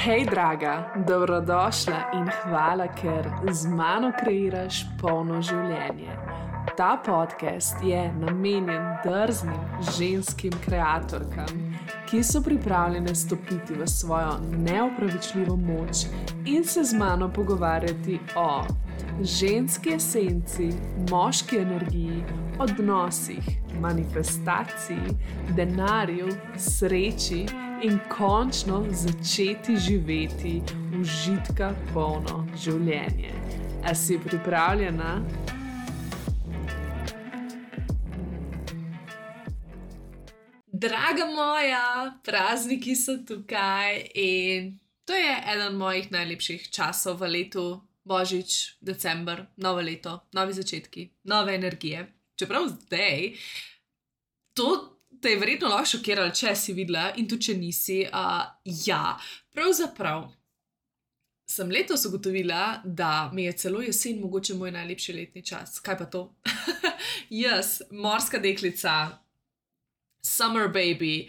Hej, draga, dobrodošla in hvala, ker z mano kreiraš polno življenje. Ta podcast je namenjen drznim ženskim kreatorkam, ki so pripravljene stopiti v svojo neopravičljivo moč in se z mano pogovarjati o ženski esenci, moški energiji, odnosih, manifestaciji, denarju, sreči in končno začeti živeti užitka polno življenje. A si pripravljena? Draga moja, prazniki so tukaj in to je eden mojih najlepših časov v letu. Božič, december, novo leto, novi začetki, nove energije. Čeprav zdaj, to te je verjetno lahko šokiralo, če si videla in tudi če nisi. Pravzaprav sem letos ugotovila, da mi je celo jesen mogoče moj najlepši letni čas. Kaj pa to? Jaz, morska deklica, summer baby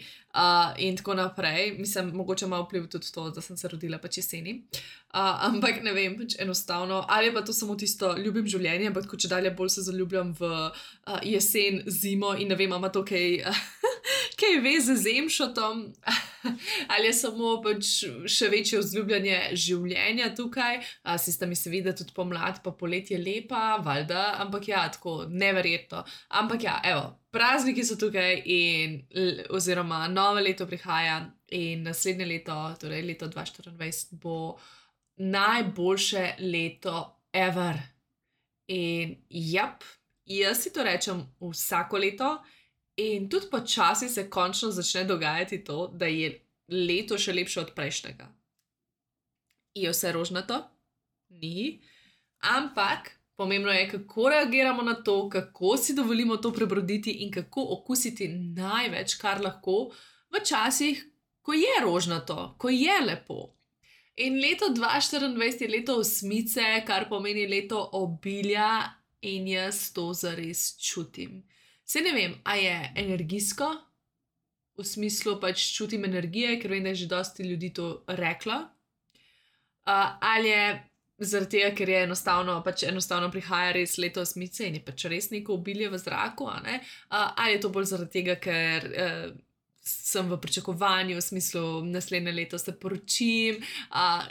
in tako naprej. Mislim, mogoče malo vpliv tudi to, da sem se rodila pač jeseni. Ampak ne vem, pač enostavno. Ali pa to samo tisto, ljubim življenje, ampak če dalje bolj se zaljubljam v jesen, zimo in ne vem, ima to kaj veze z Emšotom, ali je samo pač še večje vzljubljanje življenja tukaj. Sista mi se vidi, da tudi pomlad pa poletje lepa, valjda, ampak ja, tako neverjetno. Ampak ja, evo, prazniki so tukaj in oziroma novo leto prihaja in naslednje leto, torej leto 2024, bo najboljše leto ever. In jaz si to rečem vsako leto in tudi počasi se končno začne dogajati to, da je leto še lepše od prejšnjega. Je vse rožnato? Ni. Ampak pomembno je, kako reagiramo na to, kako si dovolimo to prebroditi in kako okusiti največ, kar lahko v časih, ko je rožnato, ko je lepo. In leto 2024 je leto osmice, kar pomeni leto obilja in jaz to zares čutim. Saj ne vem, a je energijsko, v smislu pač čutim energije, ker vem, da je že dosti ljudi to reklo, ali je zaradi tega, ker je enostavno prihaja res leto osmice in je pač res neko obilje v zraku, ali je to bolj zaradi tega, ker sem v pričakovanju, v smislu naslednje leto se poročim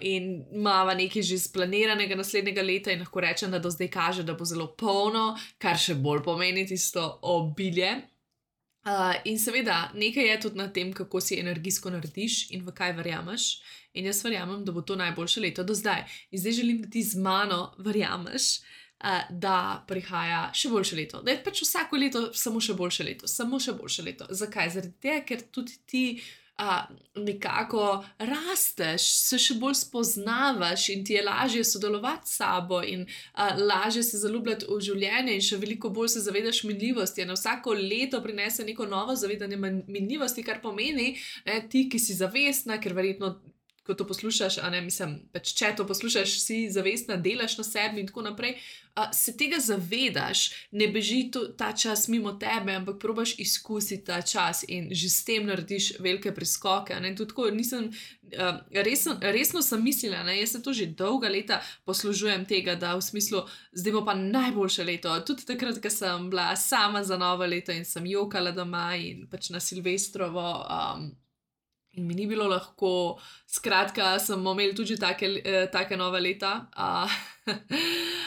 in imava nekaj že splaniranega naslednjega leta in lahko rečem, da do zdaj kaže, da bo zelo polno, kar še bolj pomeni tisto obilje. In seveda, nekaj je tudi na tem, kako si energijsko narediš in v kaj verjameš. In jaz verjamem, da bo to najboljše leto do zdaj. In zdaj želim, da ti z mano verjameš, da prihaja še boljše leto. Da je pač vsako leto samo še boljše leto. Samo še boljše leto. Zakaj? Zaradi tega, ker tudi ti nekako rasteš, se še bolj spoznavaš in ti je lažje sodelovati s sabo in lažje se zaljubljati v življenje in še veliko bolj se zavedaš minljivosti. Na vsako leto prinese neko novo zavedanje minljivosti, kar pomeni, ti, ki si zavestna, ker verjetno ko to poslušaš, pač če to poslušaš, si zavestna, delaš na sebi in tako naprej, se tega zavedaš, ne beži ta čas mimo tebe, ampak probaš izkusiti ta čas in že s tem narediš velike preskoke. Tudi tako nisem, resno sem mislila, jaz se to že dolga leta poslužujem tega, da v smislu, zdaj bo pa najboljše leto. Tudi takrat, ko sem bila sama za novo leto in sem jokala doma in pač na Silvestrovo, in mi ni bilo lahko, skratka, smo imeli tudi take nove leta,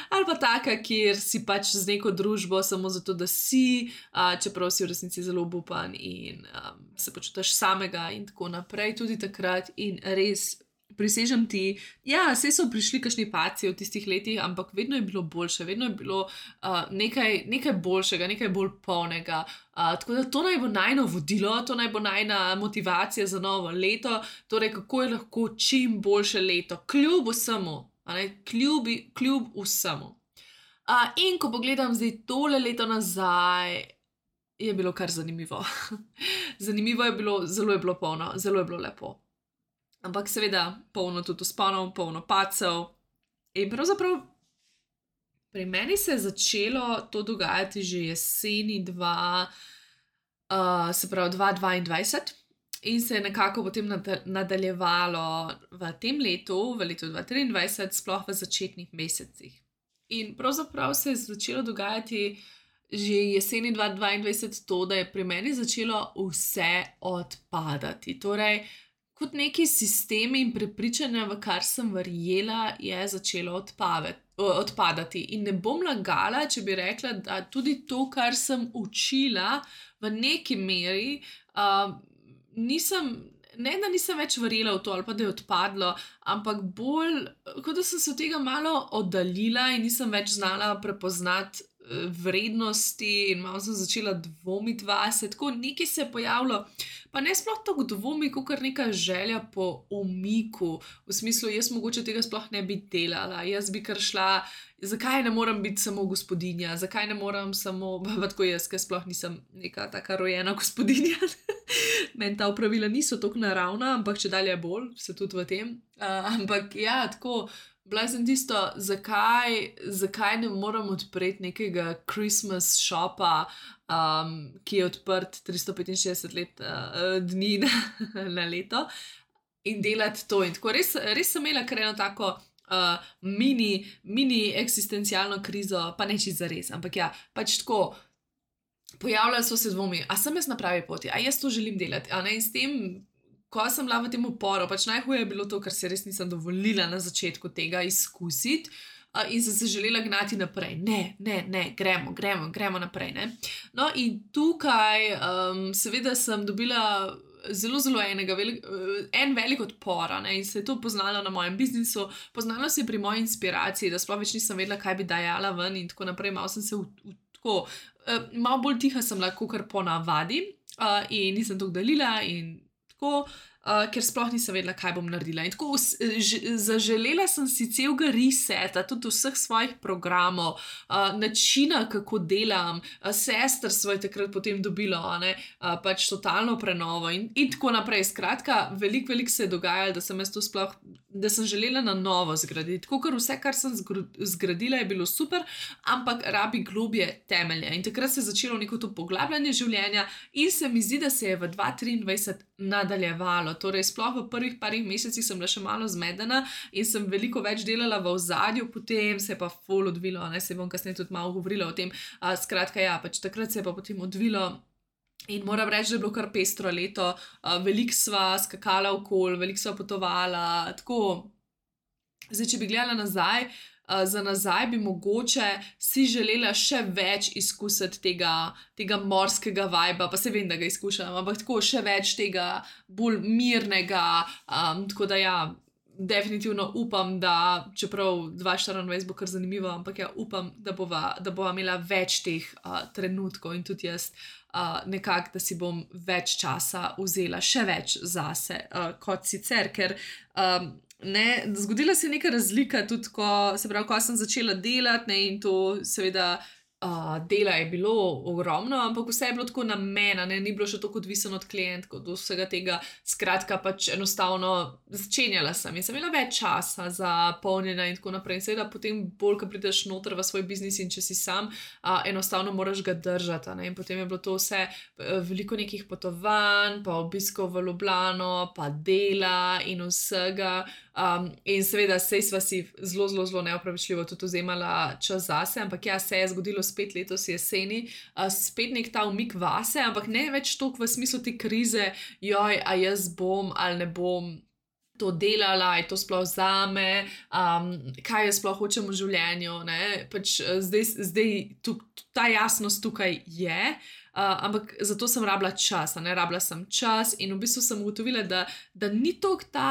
ali pa taka, kjer si pač z neko družbo samo zato, da si, čeprav si v resnici zelo obupan in se počutiš samega in tako naprej, tudi takrat in res prisežem ti, saj so prišli kakšni padci v tistih letih, ampak vedno je bilo boljše, vedno je bilo nekaj boljšega, nekaj bolj polnega. Tako da to naj bo najno vodilo, to naj bo najna motivacija za novo leto, torej kako je lahko čim boljše leto, kljub vsemu, kljub vsemu. In ko pogledam zdaj tole leto nazaj, je bilo kar zanimivo. Zanimivo je bilo, zelo je bilo polno, zelo je bilo lepo. Ampak seveda polno tudi vzponov, polno padcev. In pravzaprav pri meni se je začelo to dogajati že jeseni 2022. in se je nekako potem nadaljevalo v tem letu, v letu 2023, sploh v začetnih mesecih. In pravzaprav se je začelo dogajati že jeseni 2022 to, da je pri meni začelo vse odpadati. Torej, kot neki sistemi in prepričanja, v kar sem verjela, je začelo odpadati. In ne bom lagala, če bi rekla, da tudi to, kar sem učila v neki meri, da nisem več verjela v to, ali pa da je odpadlo, ampak bolj, kot da sem se od tega malo oddaljila in nisem več znala prepoznati vrednosti in malo sem začela dvomiti vase, tako nekaj se je pojavilo, pa ne sploh tako dvomi, kot neka želja po umiku, v smislu, jaz mogoče tega sploh ne bi delala, jaz bi kar šla, zakaj ne morem biti samo gospodinja, zakaj ne morem samo, pa tako jaz, ker sploh nisem neka taka rojena gospodinja, meni ta opravila niso tako naravna, ampak če dalje bolj, se tudi v tem, ampak ja, tako, bila sem tisto, zakaj ne morem odpreti nekega Christmas shopa, ki je odprt 365 dni na leto in delati to. In tako res sem imela kar eno tako mini eksistencialno krizo, pa ne čisto zares, ampak ja, pač tako, pojavljali so se dvomi, a sem jaz na pravi poti, a jaz to želim delati, a ne, in s tem, ko sem bila v tem uporu, pač najhuje je bilo to, ker se res nisem dovolila na začetku tega izkusiti in sem se želela gnati naprej. Ne, gremo naprej, ne. No, in tukaj seveda sem dobila zelo en velik odpor, ne, in se je to poznalo na mojem biznisu, poznalo se je pri moji inspiraciji, da sploh več nisem vedela, kaj bi dajala ven in tako naprej, malo sem se tako, malo bolj tiha sem lahko kar po navadi in nisem to delila in tako, ker sploh nisem vedela, kaj bom naredila. In tako zaželela sem si celega reseta, tudi vseh svojih programov, načina, kako delam, sestrstvo je takrat potem dobilo, ne, pač totalno prenovo in tako naprej. Skratka, veliko se je dogajalo, da sem jaz to sploh, da sem želela na novo zgraditi. Tako, ker vse, kar sem zgradila, je bilo super, ampak rabi globje temelje. In takrat se je začelo neko to poglabljanje življenja in se mi zdi, da se je v 2023 nadaljevalo. Torej, sploh v prvih parih mesecih sem bila še malo zmedena in sem veliko več delala v ozadju, potem se je pa ful odvilo, ne, se bom kasneje tudi malo govorila o tem. Skratka, ja, pač takrat se je pa potem odvilo in moram reči, da je bilo kar pestro leto, veliko sva skakala okoli, veliko sva potovala, tako. Zdaj, če bi gledala nazaj, za nazaj bi mogoče si želela še več izkusiti tega morskega vibea, pa se vem, da ga izkušam, ampak tako še več tega bolj mirnega, tako da ja, definitivno upam, da čeprav 2024 bo kar zanimivo, ampak ja, upam, da bova imela več teh trenutkov in tudi jaz nekako, da si bom več časa vzela, še več zase kot sicer, ker ne, zgodila se je neka razlika tudi, ko sem začela delati, ne, in to seveda dela je bilo ogromno, ampak vse je bilo tako na mene, ne, ni bilo še tako odvisno od klientov, od vsega tega, skratka pač enostavno začenjala sem in sem imela več časa za polnjenje in tako naprej in seveda potem bolj, ko prideš noter v svoj biznis in če si sam, enostavno moraš ga držati, ne, in potem je bilo to vse veliko nekih potovanj, pa obiskov v Ljubljano, pa dela in vsega, in seveda sej sva si zelo neopravičljivo tudi vzemala čas zase, ampak ja, se je zgodilo spet letos jeseni, spet nek ta umik vase, ampak ne več toliko v smislu te krize, joj, a jaz bom ali ne bom to delala, je to sploh zame, kaj jaz sploh hočem v življenju, ne, pač zdaj ta jasnost tukaj je, ampak zato sem rabila čas, rabila sem čas in v bistvu sem ugotovila, da ni toliko ta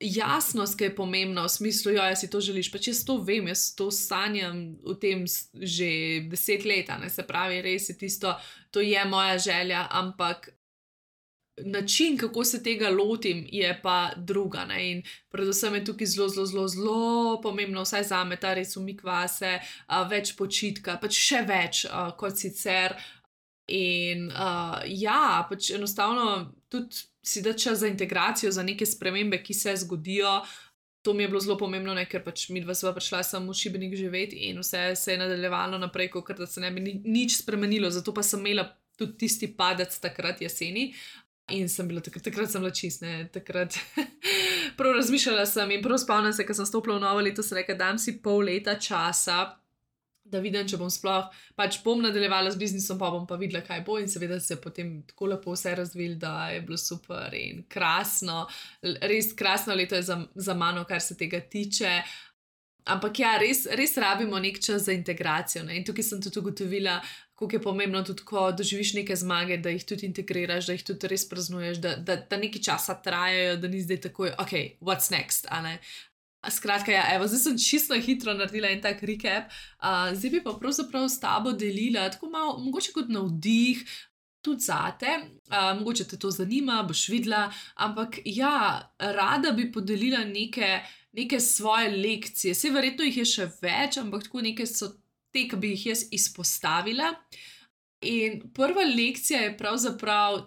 jasnost, ki je pomembna v smislu, jo, jaz si to želiš, pač jaz to vem, jaz to sanjam v tem že 10 let, ne, se pravi, res je tisto, to je moja želja, ampak način, kako se tega lotim, je pa druga, ne, in predvsem je tukaj zelo pomembno, vsaj zame, ta res umik vase, več počitka, pač še več kot sicer in ja, pač enostavno tudi si da čas za integracijo, za neke spremembe, ki se zgodijo. To mi je bilo zelo pomembno, ne, ker pač midva sva prišla samo v Šibenik živeti in vse se je nadaljevalo naprej, kot da se ne bi nič spremenilo, zato pa sem imela tudi tisti padec takrat jeseni. In sem bila takrat sem bila čist, ne, takrat prav razmišljala sem in prav spomnim se, ko sem stopila v novo leto, sem rekla, dam si pol leta časa, da vidim, če bom sploh, pač bom nadaljevala z biznisom, pa bom pa videla, kaj bo in seveda se je potem tako lepo vse razvil, da je bilo super in krasno, res krasno leto je za mano, kar se tega tiče. Ampak ja, res rabimo nek čas za integracijo, ne? In tukaj sem tudi ugotovila, koliko je pomembno tudi, ko doživiš neke zmage, da jih tudi integriraš, da jih tudi res praznuješ, da nekaj časa trajajo, da ni zdaj takoj, ok, what's next, a ne? Skratka, ja, evo, zdaj sem čisto hitro naredila en tak recap, zdaj bi pa pravzaprav s tabo delila, tako malo, mogoče kot navdih, tudi zate, mogoče te to zanima, boš videla, ampak ja, rada bi podelila neke svoje lekcije, saj verjetno jih je še več, ampak tako neke so te, ki bi jih jaz izpostavila. In prva lekcija je pravzaprav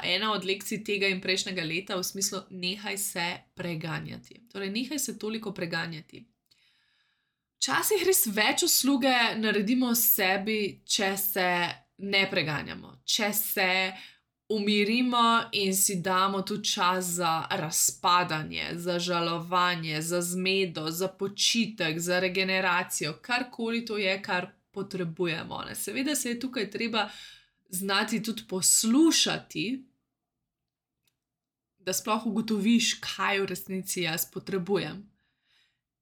ena od lekcij tega in prejšnjega leta v smislu nehaj se preganjati. Torej, nehaj se toliko preganjati. Včasih res več usluge naredimo sebi, če se ne preganjamo, če se umirimo in si damo tudi čas za razpadanje, za žalovanje, za zmedo, za počitek, za regeneracijo, karkoli to je, kar potrebujemo. Ne? Seveda se je tukaj treba znati tudi poslušati, da sploh ugotoviš, kaj v resnici jaz potrebujem.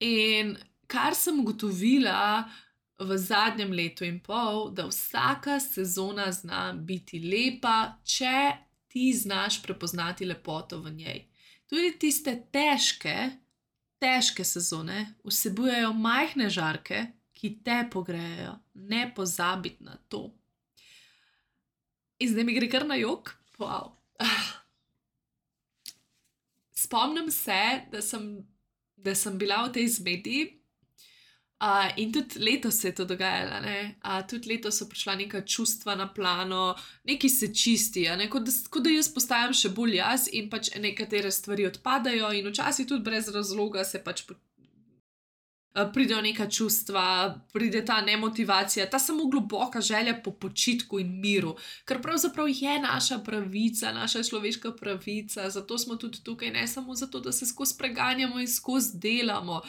In kar sem ugotovila v zadnjem letu in pol, da vsaka sezona zna biti lepa, če ti znaš prepoznati lepoto v njej. Tudi tiste težke sezone vsebujejo majhne žarke, ki te pogrejejo. Ne pozabiti na to. In zdaj mi gre kar na jok. Wow. Spomnim se, da sem bila v tej zmedi, in tudi letos se je to dogajalo, ne? Tudi letos so prišla neka čustva na plano, nekaj se čisti, ne? Kot da jaz postajam še bolj jaz in pač nekatere stvari odpadajo in včasih tudi brez razloga se pač pridejo neka čustva, pride ta nemotivacija, ta samo globoka želja po počitku in miru, ker pravzaprav je naša pravica, naša človeška pravica, zato smo tudi tukaj, ne samo zato, da se skozi preganjamo in skozi delamo.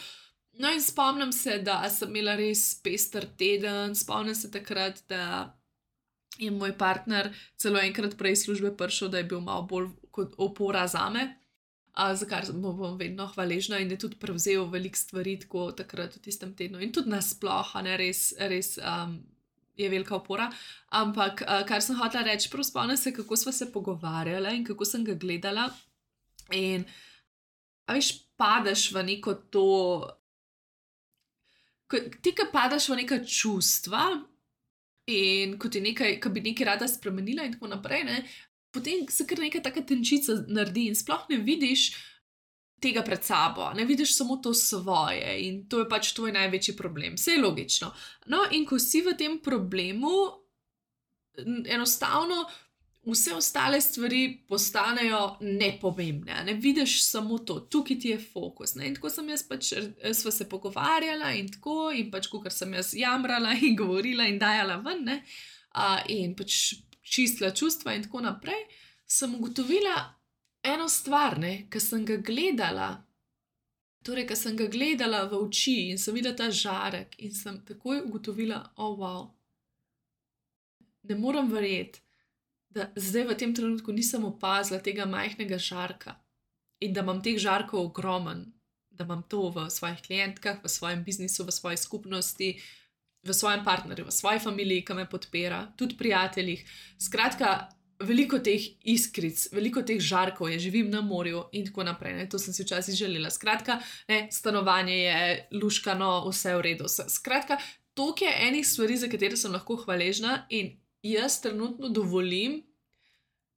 No in spomnim se, da sem imela res pester teden, spomnim se takrat, da je moj partner celo enkrat prej iz službe prišel, da je bil malo bolj kot opora zame, za kar bom vedno hvaležna in je tudi prevzel veliko stvari tako takrat v tistem tednu in tudi nasploh, ne, res je velika opora, ampak kar sem hotela reči, prav spomnim se, kako sva se pogovarjala in kako sem ga gledala in a veš, padeš v neko to. Ti, ki padaš v neka čustva in ko bi nekaj rada spremenila in tako naprej, ne, potem se kar neka taka tenčica naredi in sploh ne vidiš tega pred sabo, ne vidiš samo to svoje in to je pač tvoj največji problem. Vse je logično. No, in ko si v tem problemu, enostavno vse ostale stvari postanejo nepomembne, ne vidiš samo to, tukaj ti je fokus, ne, in tako sem jaz pač, sva se pogovarjala in tako, in pač kakor sem jaz jamrala in govorila in dajala ven, ne, in pač čistila čustva in tako naprej, sem ugotovila eno stvar, ne, ko sem ga gledala, torej, ko sem ga gledala v oči in sem videla ta žarek in sem takoj ugotovila, wow, ne morem verjeti, da zdaj v tem trenutku nisem opazila tega majhnega žarka in da imam teh žarkov ogromen, da imam to v svojih klientkah, v svojem biznisu, v svoji skupnosti, v svojem partnerju, v svoji familiji, ki me podpira, tudi prijateljih. Skratka, veliko teh iskric, veliko teh žarkov je, živim na morju in tako naprej, ne? To sem si včasih želela. Skratka, ne, stanovanje je luškano, vse v redu. Skratka, toliko je enih stvari, za katere sem lahko hvaležna in jaz trenutno dovolim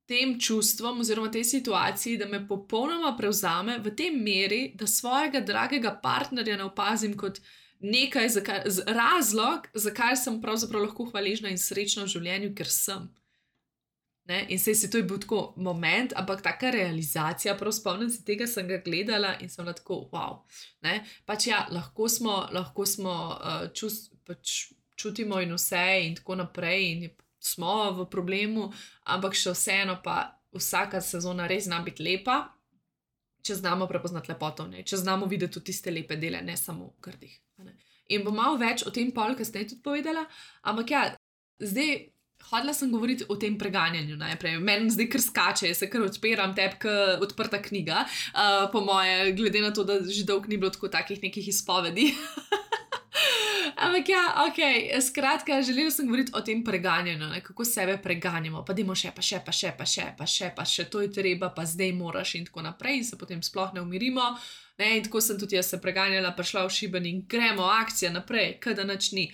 tem čustvom oziroma tej situaciji, da me popolnoma prevzame v tej meri, da svojega dragega partnerja ne opazim kot nekaj, razlog, zakaj sem pravzaprav lahko hvaležna in srečna v življenju, ker sem. Ne? In sej to je bil tako moment, ampak taka realizacija, prav spomnim se tega, sem ga gledala in sem bila tako, wow. Ne? Pač ja, lahko smo pač čutimo in vse in tako naprej in smo v problemu, ampak še vseeno pa vsaka sezona res zna biti lepa, če znamo prepoznati lepoto v njej, če znamo videti tudi tiste lepe dele, ne samo v grdih. In bom malo več o tem pol kasneje tudi povedala, ampak ja, zdaj hodila sem govoriti o tem preganjanju najprej. Meni zdaj kar skače, jaz se kar odpiram, tepka odprta knjiga, po moje, glede na to, da že dolgo ni bilo tako takih nekih izpovedi. Ampak ja, ok, skratka, želela sem govoriti o tem preganjanju, kako sebe preganjamo, pa dajmo pa še, to je treba, pa zdaj moraš in tako naprej in se potem sploh ne umirimo. In tako sem tudi jaz se preganjala, prišla v šiben in gremo, akcija naprej, kada nič ni.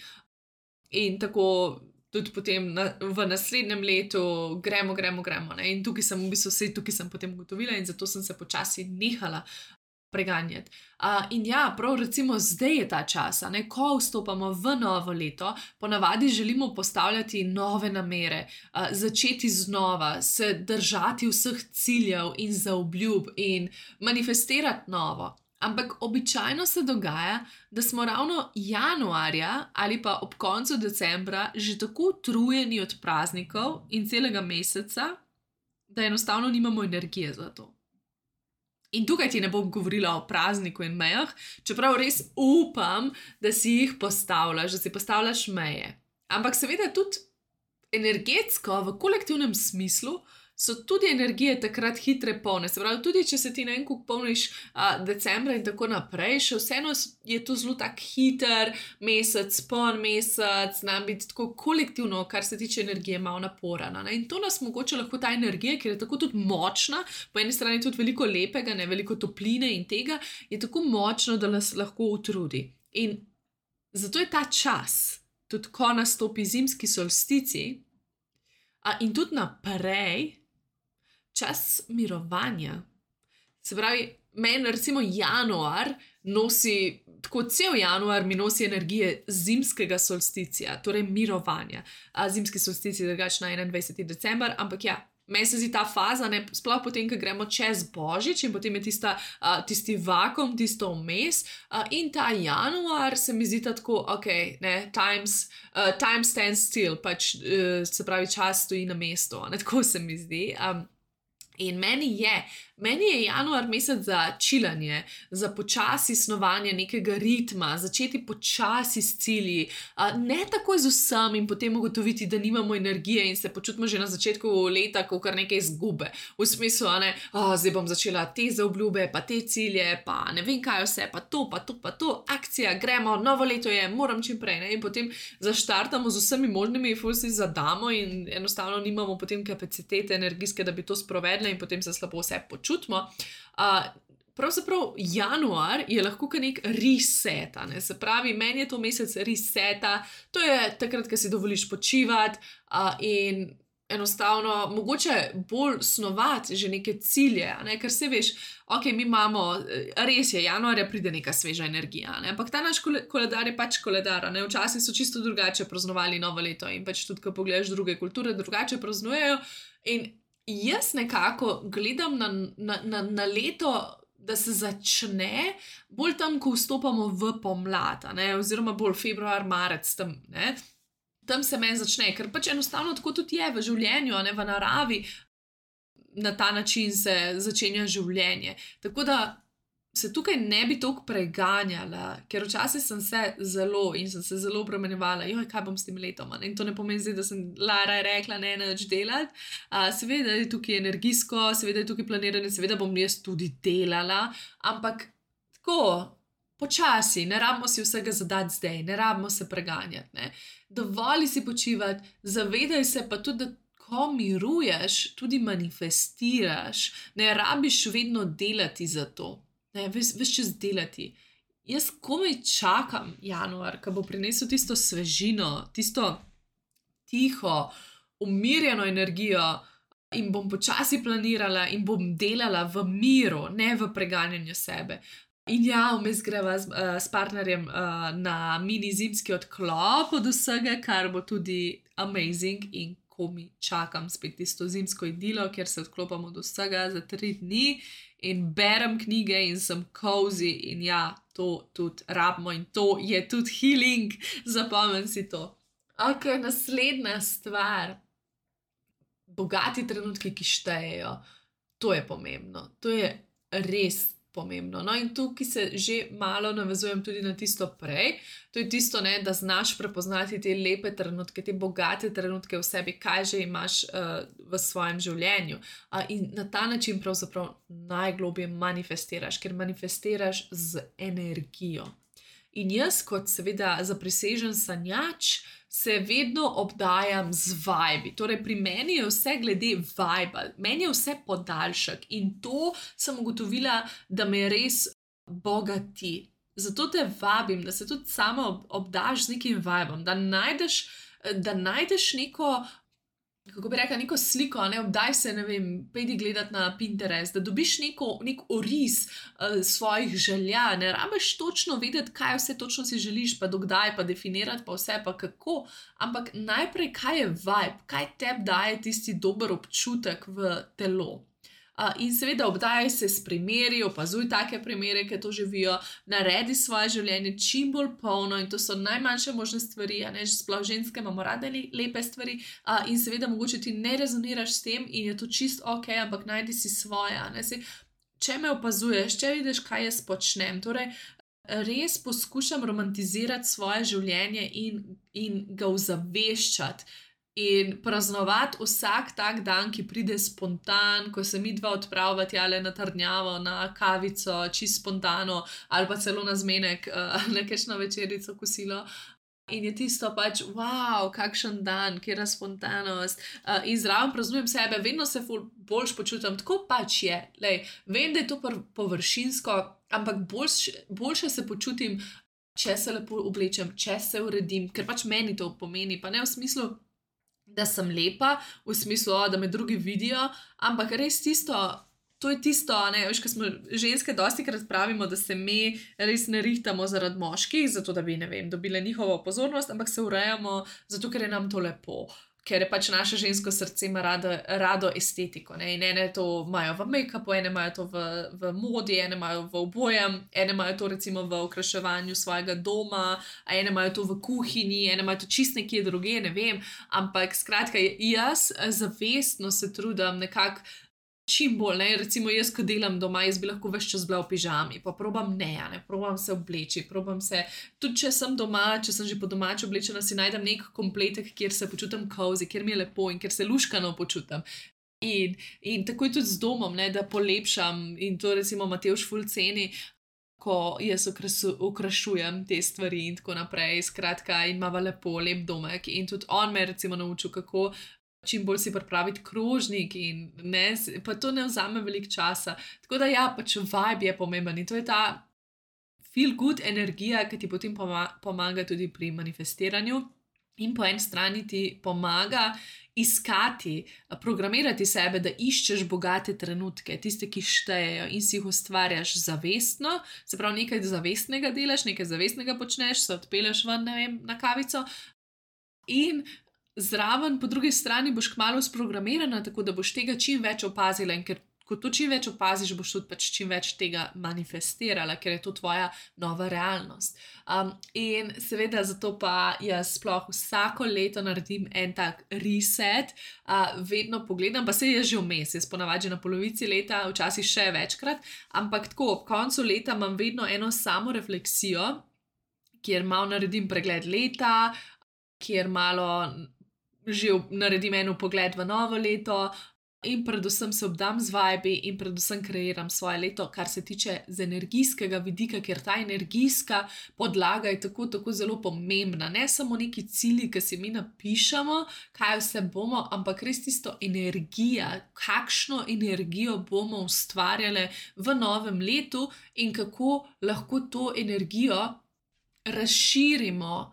In tako tudi potem v naslednjem letu gremo. In tukaj sem v bistvu tukaj sem potem ugotovila in zato sem se počasi nehala preganjati. In ja, prav recimo zdaj je ta čas, ko vstopamo v novo leto, ponavadi želimo postavljati nove namere, začeti znova, se držati vseh ciljev in zaobljub in manifestirati novo. Ampak običajno se dogaja, da smo ravno januarja ali pa ob koncu decembra že tako utrujeni od praznikov in celega meseca, da enostavno nimamo energije za to. In tukaj ti ne bom govorila o prazniku in mejah, čeprav res upam, da si jih postavljaš, da si postavljaš meje. Ampak seveda tudi energetsko, v kolektivnem smislu, so tudi energije takrat hitre polne. Se pravi, tudi če se ti na en kup polniš decembra in tako naprej, še vseeno je to zelo tak hiter mesec, poln mesec, nam biti tako kolektivno, kar se tiče energije, malo naporana. In to nas mogoče lahko ta energija, ker je tako tudi močna, po eni strani tudi veliko lepega, veliko topline in tega, je tako močno, da nas lahko utrudi. In zato je ta čas, tudi ko nastopi zimski solstici, in tudi naprej, čas mirovanja. Se pravi, meni recimo januar nosi, tako cel januar mi nosi energije zimskega solsticija, torej mirovanja. Zimski solsticij je drugače na 21. december, ampak ja, meni se zdi ta faza, sploh potem, ko gremo čez Božič in potem je tisti vakuum, tisto vmes, in ta januar se mi zdi tako, ok, time stands still, pač se pravi, čas stoji na mestu, tako se mi zdi. In meni je januar mesec za čilanje, za počasi snovanje nekega ritma, začeti počasi s cilji, ne takoj z vsem in potem ugotoviti, da nimamo energije in se počutimo že na začetku leta, kot kar nekaj izgube. V smislu, zdaj bom začela te zaobljube, pa te cilje, pa ne vem kaj vse, pa to, akcija, gremo, novo leto je, moram čim prej, in potem zaštartamo z vsemi možnimi, ful si zadamo in enostavno nimamo potem kapacitete energijske, da bi to sprovedli in potem se slabo vse počutimo. Pravzaprav januar je lahko nek reset, se pravi, meni je to mesec reseta, to je takrat, ko si dovoliš počivati in enostavno mogoče bolj snovati že neke cilje, ker se veš, ok, mi imamo, res je, januarja pride neka sveža energija, ampak ta naš koledar je pač koledar, včasih so čisto drugače praznovali novo leto in pač tudi, ko pogledaš druge kulture, drugače praznujejo in jaz nekako gledam na leto, da se začne bolj tam, ko vstopamo v pomlad, oziroma bolj februar, marec tam, tam se meni začne, ker pač enostavno tako tudi je v življenju, v naravi, na ta način se začenja življenje. Tako da se tukaj ne bi toliko preganjala, ker včasih sem se zelo obremenjevala, kaj bom s tem letom, in to ne pomeni zdaj, da sem Lara rekla, ne nič delati, seveda je tukaj energijsko, seveda je tukaj planiranje, seveda bom jaz tudi delala, ampak tako, počasi, ne rabimo si vsega zadati zdaj, ne rabimo se preganjati, dovolj si počivati, zavedaj se pa tudi, da ko miruješ, tudi manifestiraš, ne rabiš vedno delati za to. Ves čas delati. Jaz komaj čakam januar, ko bo prinesel tisto svežino, tisto tiho, umirjeno energijo in bom počasi planirala in bom delala v miru, ne v preganjanju sebe. In ja, vmes greva s partnerjem na mini zimski odklop od vsega, kar bo tudi amazing in komaj čakam spet tisto zimsko idilo, kjer se odklopam od vsega za 3 dni in berem knjige in sem cozy in ja, to tudi rabimo in to je tudi healing, zapomnim si to. Ok, naslednja stvar. bogati trenutki, ki štejejo. To je pomembno, to je res pomembno. No, in tukaj se že malo navezujem tudi na tisto prej. To je tisto, ne, da znaš prepoznati te lepe trenutke, te bogate trenutke v sebi, kaj že imaš v svojem življenju. In na ta način pravzaprav najglobje manifestiraš, ker manifestiraš z energijo. In jaz, kot seveda zaprisežen sanjač, se vedno obdajam z vibi. Torej, pri meni je vse glede viba, meni je vse podaljšek in to sem ugotovila, da me res bogati. Zato te vabim, da se tudi sama obdaš z nekim vibom, da najdeš neko, kako bi rekla, neko sliko, ne, obdaj se, ne vem, pejdi gledat na Pinterest, da dobiš nek oris svojih želja, ne rabiš točno vedeti, kaj vse točno si želiš, pa dokdaj, pa definirati, pa vse, pa kako, ampak najprej, kaj je vibe, kaj tebi daje tisti dober občutek v telo. In seveda obdajaj se s primeri, opazuj take primere, ki to živijo, naredi svoje življenje čim bolj polno in to so najmanjše možne stvari, a ne, sploh ženske imamo rade lepe stvari in seveda mogoče ti ne rezoniraš s tem in je to čist ok, ampak najdi si svoje, a ne, če me opazuješ, če vidiš, kaj jaz počnem, torej res poskušam romantizirati svoje življenje in ga ozaveščati. In praznovati vsak tak dan, ki pride spontan, ko se mi dva odpravlja tjale na trdnjavo, na kavico, čisto spontano, ali pa celo na zmenek, na kakšno večerico, kosilo. In je tisto pač, wow, kakšen dan, kjera spontanost. In zraven praznujem sebe, vedno se boljš počutim, tako pač je. Lej, vem, da je to površinsko, ampak boljše se počutim, če se lepo oblečem, če se uredim, ker pač meni to pomeni, pa ne v smislu, da sem lepa, v smislu, da me drugi vidijo, ampak res tisto, to je tisto, ne, veš, ko smo ženske dostikrat pravimo, da se mi res ne rihtamo zaradi moških, zato da bi, ne vem, dobile njihovo pozornost, ampak se urejamo, zato ker je nam to lepo, ker je pač naše žensko srce ima rado estetiko, ne, in ene to imajo v make-upu, ene imajo to v modi, ene imajo v obojem, ene imajo to recimo v okraševanju svojega doma, a ene imajo to v kuhinji, ene imajo to čist nekje druge, ne vem, ampak skratka, jaz zavestno se trudim nekako čim bolj, ne, recimo jaz, ko delam doma, jaz bi lahko ves čas bila v pižami, pa probam ne, probam se obleči, probam se, tudi če sem doma, če sem že po domači oblečena, si najdem nek kompletek, kjer se počutim cozy, kjer mi je lepo in kjer se luškano počutim. In tako je tudi z domom, ne, da polepšam in to recimo Matevž ful ceni, ko jaz okrašujem te stvari in tako naprej, skratka, in imava lepo, lep domek in tudi on me recimo naučil, kako čim bolj si pripraviti krožnik in ne, pa to ne vzame veliko časa. Tako da ja, pač vibe je pomemben in to je ta feel good energija, ki ti potem pomaga tudi pri manifestiranju in po eni strani ti pomaga iskati, programirati sebe, da iščeš bogate trenutke, tiste, ki štejejo in si jih ustvarjaš zavestno, se pravi nekaj zavestnega delaš, nekaj zavestnega počneš, se odpelješ ven, ne vem, na kavico in zraven, po drugi strani boš kmalu sprogramirana, tako da boš tega čim več opazila in ker ko to čim več opaziš, boš tudi pač čim več tega manifestirala, ker je to tvoja nova realnost. In seveda zato pa jaz sploh vsako leto naredim en tak reset, vedno pogledam, pa se je že vmes, jaz ponavadi na polovici leta, včasih še večkrat, ampak tako, ob koncu leta imam vedno eno samo refleksijo, kjer malo naredim pregled leta, kjer malo že naredim eno pogled v novo leto in predvsem se obdam z vibi in predvsem kreiram svoje leto, kar se tiče z energijskega vidika, ker ta energijska podlaga je tako zelo pomembna. Ne samo neki cilji, ki si mi napišemo, kaj vse bomo, ampak res tisto energija, kakšno energijo bomo ustvarjali v novem letu in kako lahko to energijo razširimo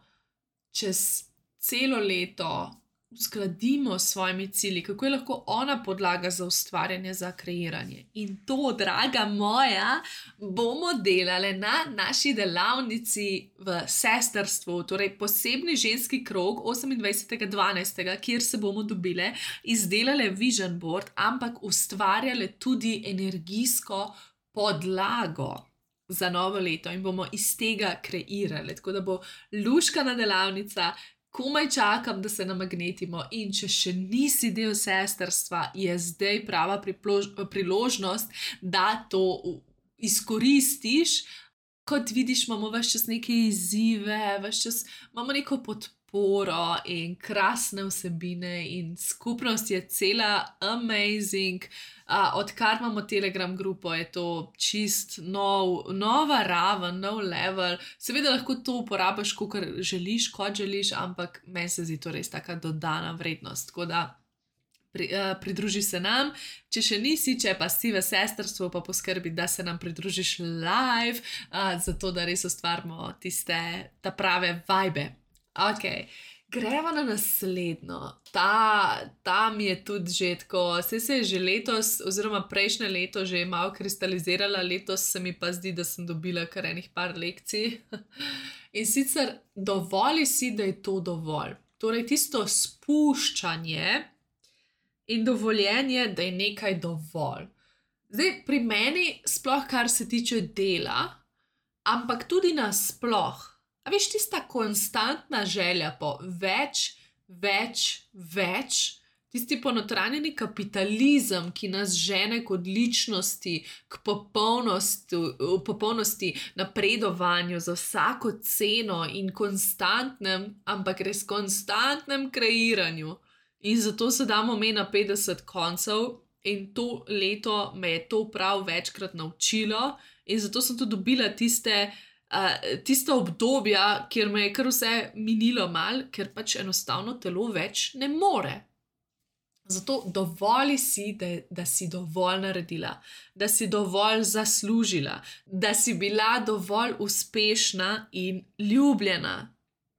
čez celo leto, uskladimo s svojimi cilji, kako je lahko ona podlaga za ustvarjanje, za kreiranje. In to, draga moja, bomo delali na naši delavnici v sestrstvu, torej posebni ženski krog 28.12., kjer se bomo dobile, izdelale vision board, ampak ustvarjale tudi energijsko podlago za novo leto in bomo iz tega kreirali. Tako da bo luškana delavnica, komaj čakam, da se namagnetimo in če še nisi del sestrstva, je zdaj prava priložnost, da to izkoristiš. Kot vidiš, imamo ves čas neke izzive, ves čas imamo neko podporo in krasne vsebine in skupnost je cela amazing. Odkar imamo Telegram grupo, je to čist nova raven, nov level. Seveda lahko to uporabiš, kot želiš, ampak meni se zdi to res taka dodana vrednost. Tako da pridruži se nam, če še nisi, če pa si v sestrstvu, pa poskrbi, da se nam pridružiš live, zato da res ustvarimo ta prave vibe. Ok, gremo na naslednjo. Ta mi je tudi že tako, se je že letos, oziroma prejšnje leto že malo kristalizirala, letos se mi pa zdi, da sem dobila kar enih par lekcij. In sicer dovoli si, da je to dovolj. Torej tisto spuščanje in dovoljenje, da je nekaj dovolj. Zdaj, pri meni, sploh kar se tiče dela, ampak tudi nasploh, a veš, tista konstantna želja po več, tisti ponotranjeni kapitalizem, ki nas žene k odličnosti, k popolnosti, napredovanju za vsako ceno in konstantnem, ampak res konstantnem kreiranju. In zato se damo me na 50 koncev in to leto me je to prav večkrat naučilo in zato sem tudi dobila tista obdobja, kjer me je kar vse minilo mal, ker pač enostavno telo več ne more. Zato dovoli si, da si dovolj naredila, da si dovolj zaslužila, da si bila dovolj uspešna in ljubljena.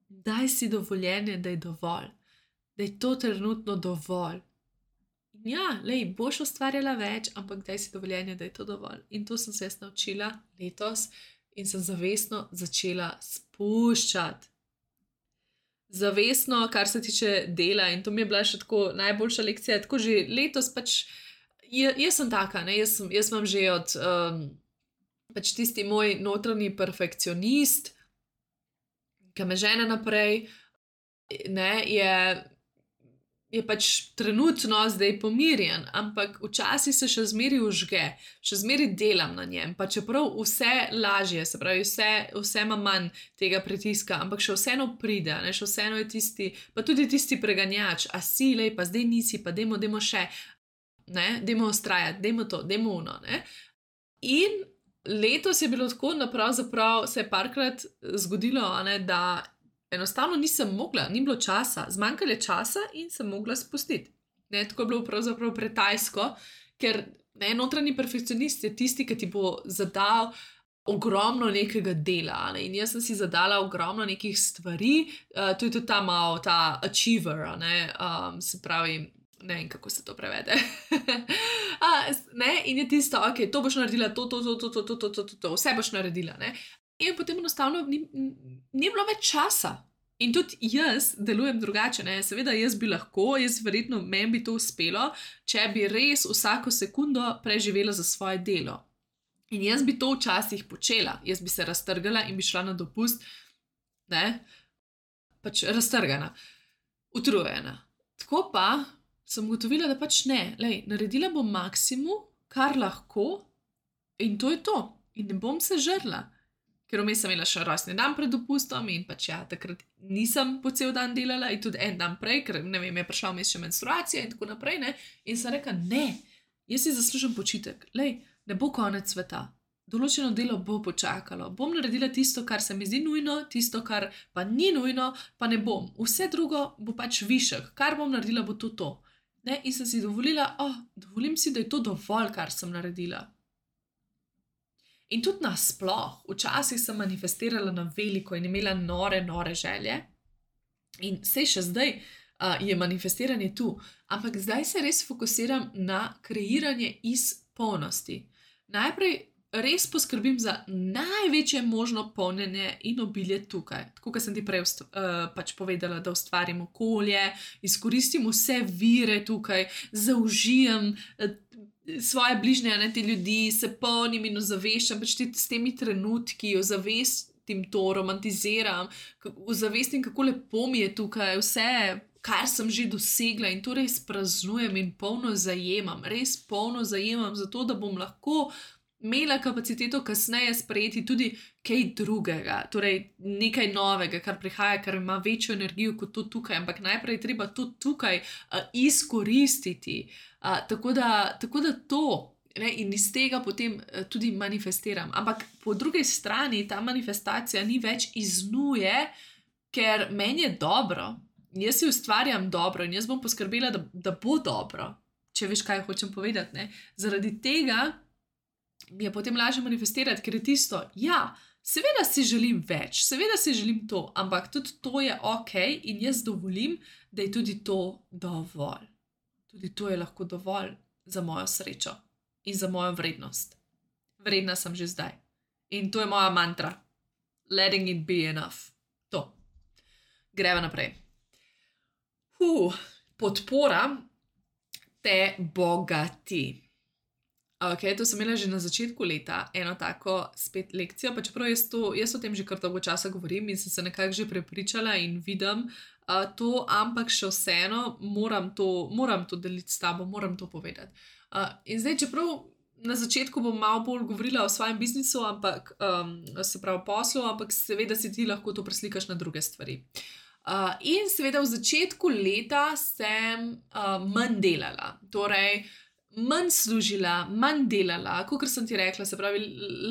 Daj si dovoljenje, da je dovolj. Da je to trenutno dovolj. In ja, boš ustvarjala več, ampak daj si dovoljenje, da je to dovolj. In to sem se jaz naučila letos in sem zavestno začela spuščati. Zavestno, kar se tiče dela, in to mi je bila še tako najboljša lekcija, tako že letos pač, jaz sem taka, ne, jaz imam že od pač tisti moj notranji perfekcionist, ki me žene naprej, ne, je pač trenutno zdaj pomirjen, ampak včasih se še zmeri užge, še zmeri delam na njem, pa čeprav vse lažje, se pravi, vse ima manj tega pritiska, ampak še vseeno pride, ne, še vseeno je tisti, pa tudi tisti preganjač, a si, pa zdaj nisi, pa dajmo še, ne, dajmo ustrajati, dajmo to, dajmo ono, ne. In letos je bilo tako, da pravzaprav se je parkrat zgodilo, ne, da enostavno nisem mogla, ni bilo časa, zmanjkalo je časa in sem mogla spustiti. Ne, tako je bilo pravzaprav pretajsko, ker notranji perfekcionist je tisti, ki ti bo zadal ogromno nekega dela. Ne, in jaz sem si zadala ogromno nekih stvari, to je tudi ta achiever, ne, se pravi, ne vem, kako se to prevede. Ne, in je tisto, ok, to boš naredila, to, vse boš naredila, ne. In potem enostavno ni bilo več časa. In tudi jaz delujem drugače, ne. Seveda jaz bi lahko, verjetno meni bi to uspelo, če bi res vsako sekundo preživela za svoje delo. In jaz bi to včasih počela, jaz bi se raztrgala in bi šla na dopust, ne, pač raztrgana, utrujena. Tako pa sem ugotovila, da pač ne, naredila bom maksimum, kar lahko in to je to. In ne bom se žrla. Ker vmes sem imela še rojstni dan pred dopustom in pač ja, takrat nisem po cel dan delala in tudi en dan prej, ker ne vem, je prišla vmes še menstruacija in tako naprej, ne. In sem rekla, ne, jaz si zaslužim počitek, ne bo konec sveta. Določeno delo bo počakalo, bom naredila tisto, kar se mi zdi nujno, tisto, kar pa ni nujno, pa ne bom. Vse drugo bo pač višek, kar bom naredila, bo to. Ne? In sem si dovolila, dovolim si, da je to dovolj, kar sem naredila. In tudi nasploh, včasih sem manifestirala na veliko in imela nore želje. In sej še zdaj je manifestiranje tu, ampak zdaj se res fokusiram na kreiranje iz polnosti. Najprej res poskrbim za največje možno polnjenje in obilje tukaj. Tako, kot sem ti prej pač povedala, da ustvarim okolje, izkoristim vse vire tukaj, zaužijem svoje bližnje, ne, te ljudi, se polnim in ozaveščam pač s temi trenutki, ozavestim čutim to, romantiziram, ozavestim, kako lepo mi je tukaj, vse, kar sem že dosegla in to res praznujem in polno zajemam, res polno zajemam, zato da bom lahko imela kapaciteto kasneje sprejeti tudi kaj drugega, torej nekaj novega, kar prihaja, kar ima večjo energijo kot to tukaj, ampak najprej je treba to tukaj izkoristiti. Tako da to, ne, in iz tega potem tudi manifestiram. Ampak po drugi strani ta manifestacija ni več iz nuje, ker meni je dobro. Jaz si ustvarjam dobro in jaz bom poskrbela, da bo dobro, če veš, kaj hočem povedati. Ne? Zaradi tega mi je potem lažje manifestirati, ker je tisto, ja, seveda si želim več, seveda si želim to, ampak tudi to je ok in jaz dovolim, da je tudi to dovolj. Tudi to je lahko dovolj za mojo srečo in za mojo vrednost. Vredna sem že zdaj. In to je moja mantra. Letting it be enough. To. Greva naprej. Podpora te bogati. Ok, to sem imela že na začetku leta, eno tako spet lekcijo, pa čeprav jaz o tem že kar dolgo časa govorim in sem se nekako že prepričala in vidim to, ampak še vseeno moram to deliti s tabo, moram to povedati. In zdaj, čeprav na začetku bom malo bolj govorila o svojem biznisu, ampak se pravi poslu, ampak seveda si ti lahko to preslikaš na druge stvari. In seveda v začetku leta sem manj delala, torej manj služila, manj delala, kot sem ti rekla, se pravi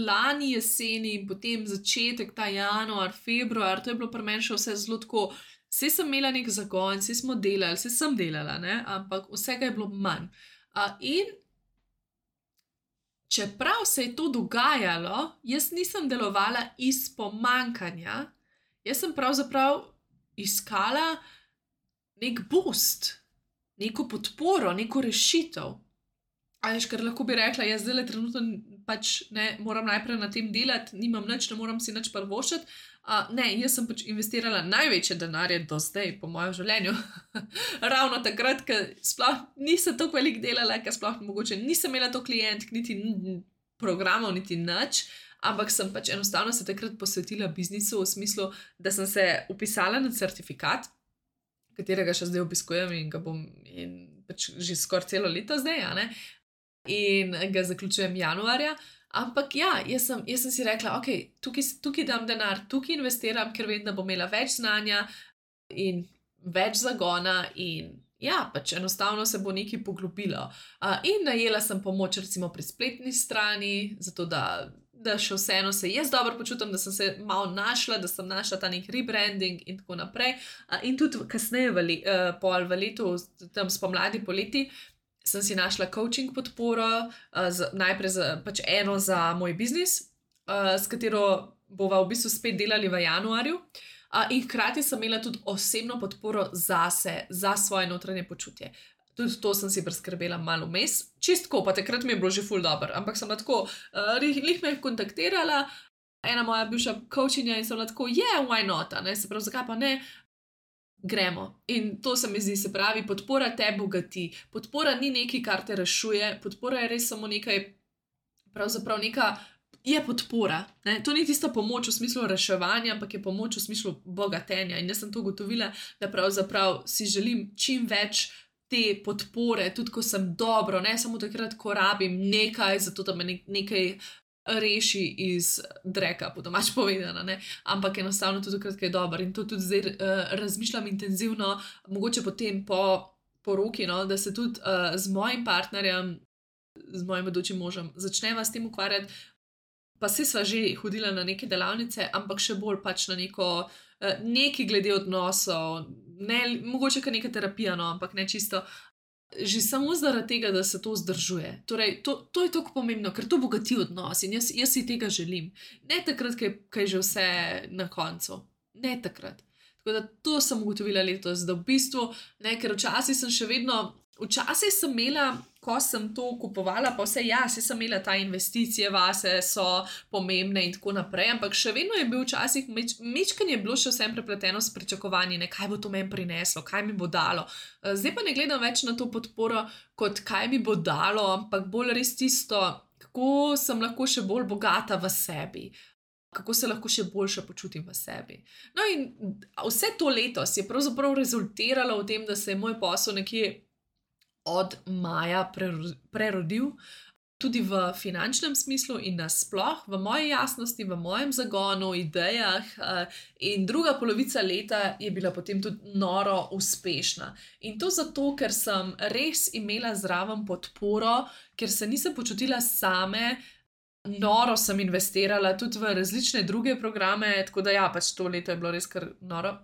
lani jeseni in potem začetek, ta januar, februar, to je bilo pri meni še vse zelo tako, vse sem imela nek zagon, vse smo delali, vse sem delala, ne? Ampak vsega je bilo manj. In čeprav se je to dogajalo, jaz nisem delovala iz pomankanja, jaz sem pravzaprav iskala nek boost, neko podporo, neko rešitev. Veš, ker lahko bi rekla, jaz zdaj trenutno pač ne moram najprej na tem delati, nimam nič, ne moram si nič privoščiti. Ne, jaz sem pač investirala največje denarje do zdaj po mojem življenju. Ravno takrat, ker sploh nisem toliko velik delala, ker sploh mogoče nisem imela to klient, niti programov, niti nič, ampak sem pač enostavno se takrat posvetila biznisu v smislu, da sem se upisala na certifikat, katerega še zdaj obiskujem in ga bom pač že skoraj celo leto zdaj, ne? In ga zaključujem januarja, ampak ja, jaz sem si rekla, ok, tukaj dam denar, tukaj investiram, ker vem, da bom imela več znanja in več zagona in ja, pač enostavno se bo nekaj poglobilo. In najela sem pomoč recimo pri spletni strani, zato da še vseeno se jaz dobro počutim, da sem se malo našla, da sem našla ta nek rebranding in tako naprej. In tudi kasneje v letu, tam spomladi, poleti, sem si našla coaching podporo, najprej pač eno za moj biznis, s katero bova v bistvu spet delali v januarju. In hkrati sem imela tudi osebno podporo zase, za svoje notranje počutje. Tudi to sem si priskrbela malo vmes, čistko, pa takrat mi je bilo že ful dobro, ampak sem tako, lih me je kontaktirala, ena moja bivša coachinja in sem tako, yeah, why not, ne, se pravi, zakaj pa ne, gremo. In to se mi zdi, se pravi, podpora te bogati, podpora ni nekaj, kar te rešuje, podpora je res samo nekaj, pravzaprav neka, je podpora, ne? To ni tista pomoč v smislu reševanja, ampak je pomoč v smislu bogatenja in jaz sem to ugotovila, da pravzaprav si želim čim več te podpore, tudi ko sem dobro, ne samo takrat, ko rabim nekaj, zato da me nekaj reši iz dreka, po domač povedano, ne? Ampak enostavno tudi takrat, ko je dobro in to tudi zdaj razmišljam intenzivno, mogoče potem po poroki, no? Da se tudi z mojim partnerjem, z mojim bodočim možem začneva s tem ukvarjati. Pa se sva že hodila na neke delavnice, ampak še bolj pač na neki glede odnosov, ne, mogoče kar neka terapija, no, ampak ne čisto, že samo zaradi tega, da se to vzdržuje. Torej, to je tako pomembno, ker to bogati odnos in jaz si tega želim. Ne takrat, ko je že vse na koncu. Ne takrat. Tako da to sem ugotovila letos, da v bistvu, ne, ker včasih sem imela, ko sem to kupovala, pa vse sem imela ta investicije vase, so pomembne in tako naprej, ampak še vedno je bil včasih, mečkanje je bilo še vsem prepleteno s pričakovanji, ne, kaj bo to meni prineslo, kaj mi bo dalo. Zdaj pa ne gledam več na to podporo, kot kaj mi bo dalo, ampak bolj res tisto, kako sem lahko še bolj bogata v sebi. kako se lahko še boljše počutim v sebi. No in vse to letos je pravzaprav rezultiralo v tem, da se je moj posel nekje od maja prerodil, tudi v finančnem smislu in nasploh, v moji jasnosti, v mojem zagonu, idejah, in druga polovica leta je bila potem tudi noro uspešna. In to zato, ker sem res imela zraven podporo, ker se nisem počutila same, noro sem investirala tudi v različne druge programe, tako da ja, pač to leto je bilo res kar noro.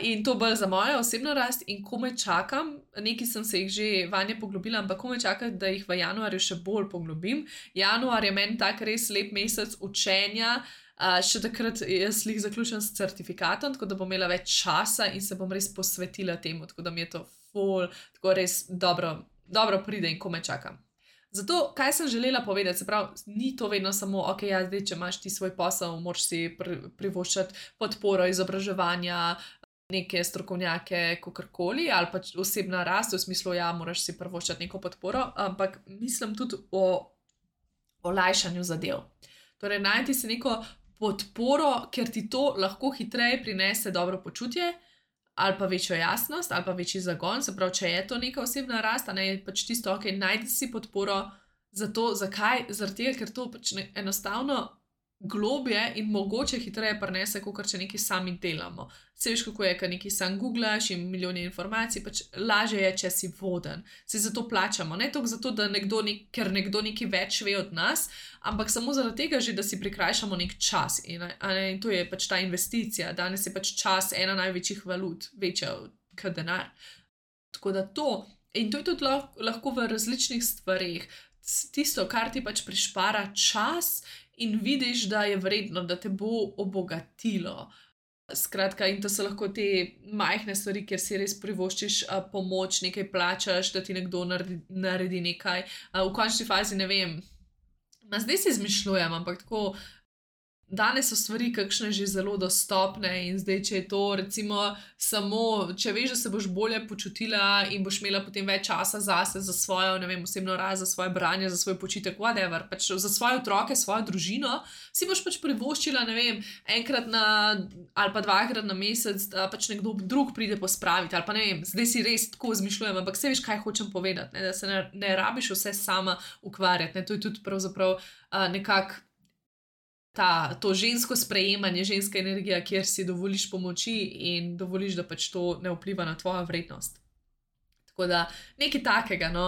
In to bolj za mojo osebno rast in komaj čakam, nekaj sem se jih že vanje poglobila, ampak komaj čakam, da jih v januarju še bolj poglobim. Januar je meni tak res lep mesec učenja, še takrat jaz lih zaključim s certifikatom, tako da bom imela več časa in se bom res posvetila temu, tako da mi je to tako res dobro pride in komaj čakam. Zato, kaj sem želela povedati, se pravi, ni to vedno samo, ok, ja, zdaj, če imaš ti svoj posel, moraš si privoščati podporo, izobraževanja, neke strokovnjake, kakorkoli, ali pač osebna rast, v smislu, ja, moraš si privoščati neko podporo, ampak mislim tudi o olajšanju zadev. Torej, najti si neko podporo, ker ti to lahko hitreje prinese dobro počutje, ali pa večjo jasnost, ali pa večji zagon, se pravi, če je to neka osebna rast, a ne je pač tisto, ok, najdi si podporo za to, zakaj? Zaradi tega, ker to pač enostavno globje in mogoče hitreje prinese, kot če nekaj sami delamo. Se veš, kako je, ko nekaj sam googlaš in milijoni informacij, pač lažje je, če si voden. Se zato plačamo, ne toliko zato, da ker nekdo nekaj več ve od nas, ampak samo zaradi tega že, da si prikrajšamo nek čas. In to je pač ta investicija. Danes je pač čas ena največjih valut, večja kot denar. Tako da to, in to je tudi lahko v različnih stvareh. Tisto, kar ti pač prišpara čas in vidiš, da je vredno, da te bo obogatilo. Skratka, in to so lahko te majhne stvari, kjer si res privoščiš pomoč, nekaj plačaš, da ti nekdo naredi nekaj. V končni fazi ne vem, zdaj si izmišljujem, ampak tako, danes so stvari kakšne že zelo dostopne in zdaj, če je to recimo samo, če veš, da se boš bolje počutila in boš imela potem več časa zase, za svojo, ne vem, osebno rast, za svoje branje, za svoj počitek, whatever, pač za svoje otroke, svojo družino, si boš pač privoščila, ne vem, enkrat ali pa dvakrat na mesec, da pač nekdo drug pride pospraviti, ali pa ne vem, zdaj si res tako izmišljujem, ampak se veš, kaj hočem povedati, ne? Da se ne rabiš vse sama ukvarjati, ne? To je tudi pravzaprav nekako to žensko sprejemanje, ženska energija, kjer si dovoliš pomoči in dovoliš, da pač to ne vpliva na tvojo vrednost. Tako da nekaj takega, no,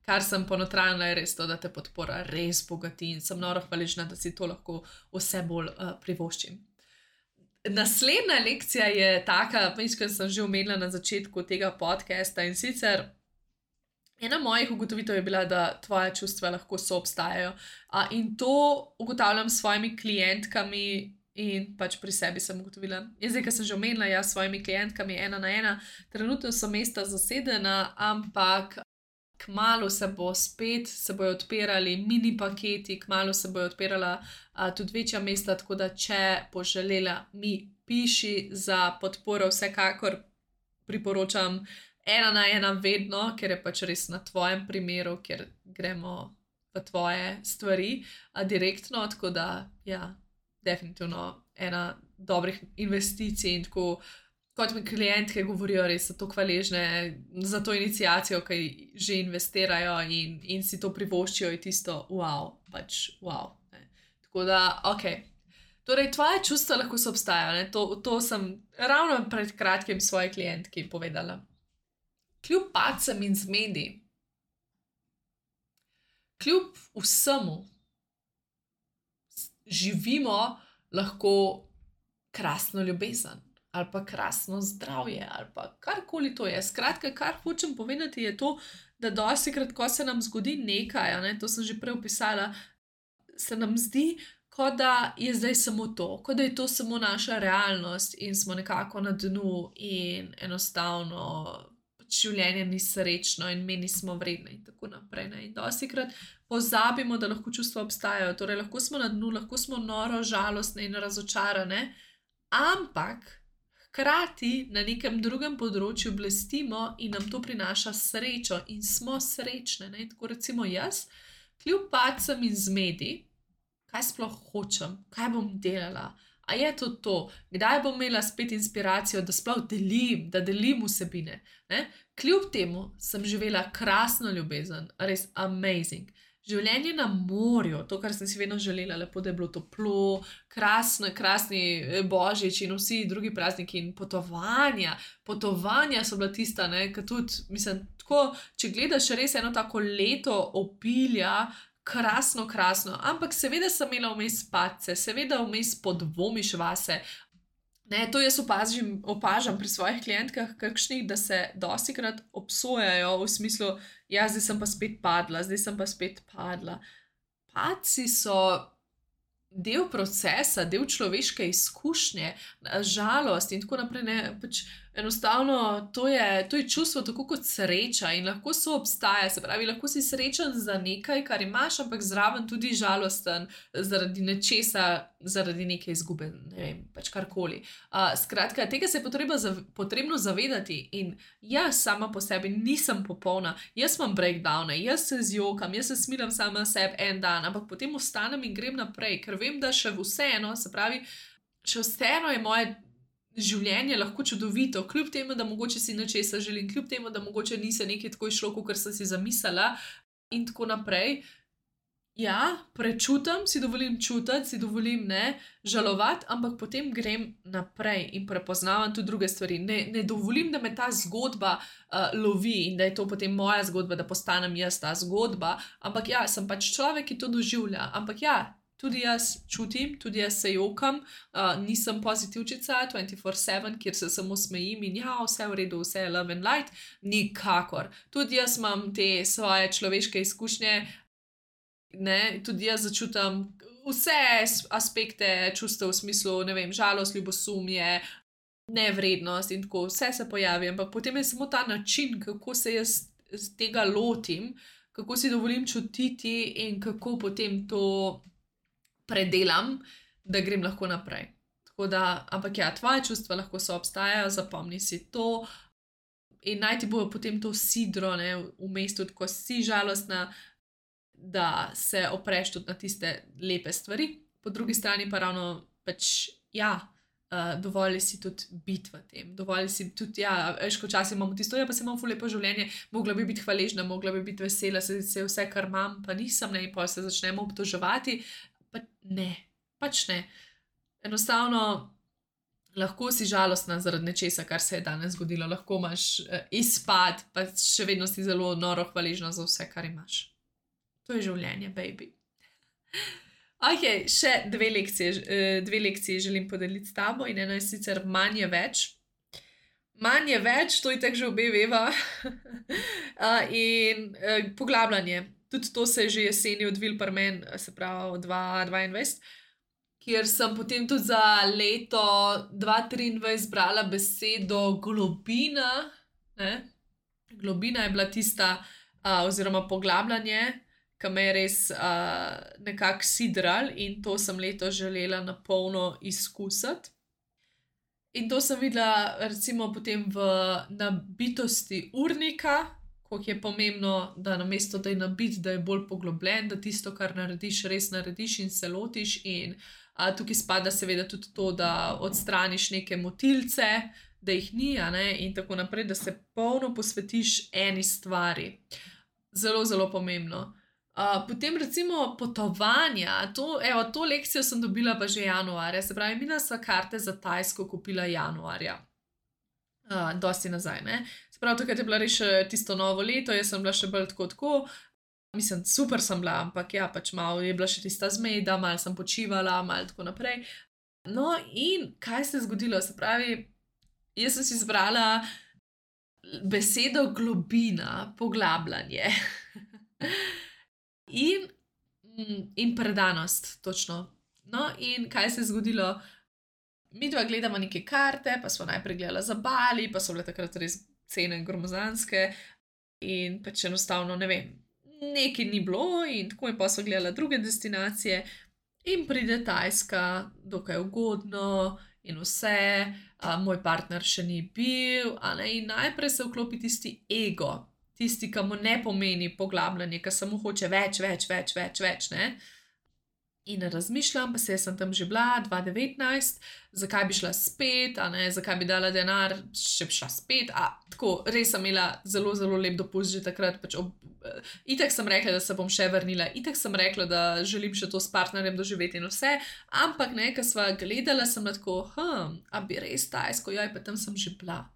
kar sem ponotranila, je res to, da te podpora res bogati in sem noro hvaležna, da si to lahko vse bolj privoščim. Naslednja lekcija je taka, kot sem že omenila na začetku tega podcasta, in sicer ena mojih ugotovitev je bila, da tvoje čustva lahko soobstajajo. In to ugotavljam s svojimi klientkami in pač pri sebi sem ugotovila. Zdaj, ker sem že omenila, ja, s svojimi klientkami 1 na 1, trenutno so mesta zasedena, ampak kmalu se bojo odpirali mini paketi, kmalu se bojo odpirala tudi večja mesta, tako da če boš želela, mi piši za podporo, vsekakor priporočam 1 na 1 vedno, ker je pač res na tvojem primeru, ker gremo v tvoje stvari direktno, tako da, ja, definitivno ena dobrih investicij in tako, kot mi klientke govorijo, res so tako hvaležne za to iniciacijo, ki že investirajo in si to privoščijo, je tisto wow, pač wow. Ne. Tako da, ok. Torej, tvoje čustva lahko soobstajajo, ne? To sem ravno pred kratkim svoji klientki povedala. Kljub padcem in zmedi, kljub vsemu, živimo lahko krasno ljubezen, ali pa krasno zdravje, ali pa karkoli to je. Skratka, kar hočem povedati, je to, da dostikrat, ko se nam zgodi nekaj, ne, to sem že prej opisala, se nam zdi, kot da je zdaj samo to, kot da je to samo naša realnost in smo nekako na dnu in enostavno življenje ni srečno in mi nismo vredni in tako naprej. Ne? In dostikrat pozabimo, da lahko čustva obstajajo, torej lahko smo na dnu, lahko smo noro, žalostne in razočarane, ampak hkrati na nekem drugem področju blestimo in nam to prinaša srečo in smo srečne. Ne? Tako recimo jaz, kljub padcem in zmedi, kaj sploh hočem, kaj bom delala. A je to, kdaj bom imela spet inspiracijo, da sploh delim, da delim vsebine. Ne? Kljub temu sem živela krasno ljubezen, res amazing. Življenje na morju, to, kar sem si vedno želela, lepo, da je bilo toplo, krasni božič in vsi drugi prazniki in potovanja. Potovanja so bila tista, ki tudi, mislim, tako, če gledaš res eno tako leto opilja, krasno, ampak seveda sem imela vmes padce, seveda vmes podvomiš vase. Ne, to jaz opažam pri svojih klientkah, kakšnih, da se dostikrat obsojajo v smislu, ja, zdaj sem pa spet padla. Padci so del procesa, del človeške izkušnje, žalost in tako naprej. Ne, pač enostavno to je čustvo tako kot sreča in lahko soobstaja, se pravi, lahko si srečen za nekaj, kar imaš, ampak zraven tudi žalosten zaradi nečesa, zaradi neke izgube, ne vem, pač karkoli. Skratka, tega se je potrebno zavedati in jaz sama po sebi nisem popolna, jaz imam breakdowne, jaz se zjokam, jaz se smilam sama sebi en dan, ampak potem ostanem in grem naprej, ker vem, da še vseeno, se pravi, še vseeno je moje življenje lahko čudovito, kljub temu, da mogoče si nečesa želim, kljub temu, da mogoče ni se nekaj tako išlo, kot sem si zamislila in tako naprej. Ja, prečutam, si dovolim čutiti, si dovolim žalovati, ampak potem grem naprej in prepoznavam tudi druge stvari. Ne dovolim, da me ta zgodba lovi in da je to potem moja zgodba, da postanem jaz ta zgodba, ampak ja, sem pač človek, ki to doživlja, ampak ja, tudi jaz čutim, tudi jaz se jokam, nisem pozitivčica 24/7, kjer se samo smejim in ja, vse v redu, vse je love and light, nikakor. Tudi jaz imam te svoje človeške izkušnje, tudi jaz začutam vse aspekte čustev v smislu, ne vem, žalost, ljubosumje, nevrednost in tako, vse se pojavi, ampak potem je samo ta način, kako se jaz tega lotim, kako si dovolim čutiti in kako potem to predelam, da grem lahko naprej. Tako da, ampak ja, tvoje čustva lahko soobstajajo, zapomni si to in naj ti bo potem to sidro v mestu, ko si žalostna, da se opreš tudi na tiste lepe stvari. Po drugi strani pa ravno pač, ja, dovolj si tudi biti v tem, dovolj si tudi, ja, veš, ko včasih imamo tisto, ja, pa se imam ful lepo življenje, mogla bi biti hvaležna, mogla bi biti vesela, se vse, kar imam, pa nisem, in pa se začnemo obtoževati. Pač ne. Enostavno lahko si žalostna zaradi nečesa, kar se je danes zgodilo, lahko imaš izpad, pa še vedno si zelo noro hvaležna za vse, kar imaš. To je življenje, baby. Ok, še dve lekcije želim podeliti s tabo in eno je sicer manj je več. Manj je več, to je tako že obe veva. In poglabljanje. Tudi to se je že jeseni odvil pri meni, se pravi 2022, kjer sem potem tudi za leto 2023 brala besedo globina. Globina je bila tista, oziroma poglabljanje, ki me je res nekako sidral in to sem leto želela na polno izkusiti. In to sem videla recimo potem v nabitosti urnika, koliko je pomembno, da namesto, da je nabit, da je bolj poglobljen, da tisto, kar narediš, res narediš in se lotiš in tukaj spada seveda tudi to, da odstraniš neke motilce, da jih ni, in tako naprej, da se polno posvetiš eni stvari. Zelo, zelo pomembno. Potem recimo potovanja, to lekcijo sem dobila pa že januarja, se pravi, mina sva karte za Tajsko kupila januarja. Dosti nazaj, Se pravi, takrat je bila res še tisto novo leto, jaz sem bila še bolj tako, mislim, super sem bila, ampak ja, pač malo je bila še tista zmeda, malo sem počivala, malo tako naprej. No in kaj se je zgodilo, se pravi, jaz sem si izbrala besedo globina, poglabljanje. In predanost, točno. No in kaj se je zgodilo? Midva gledamo neke karte, pa smo najprej gledala za Bali, pa so bile takrat res cene gromozanske in pač enostavno, ne vem, nekaj ni bilo in tako in pa so gledala druge destinacije in pride Tajska, dokaj ugodno in vse, moj partner še ni bil, in najprej se vklopi tisti ego, tisti, ki mu ne pomeni poglabljanje, ki samo hoče več, In razmišljam, pa se sem tam že bila, 2019, zakaj bi šla spet, zakaj bi dala denar, če bi šla spet. Tako, res sem imela zelo, zelo lep dopust že takrat. Itak sem rekla, da se bom še vrnila, itak sem rekla, da želim še to s partnerjem doživeti in vse, ampak ko sva gledala, sem tako, a bi res Tajsko, joj, pa tam sem že bila.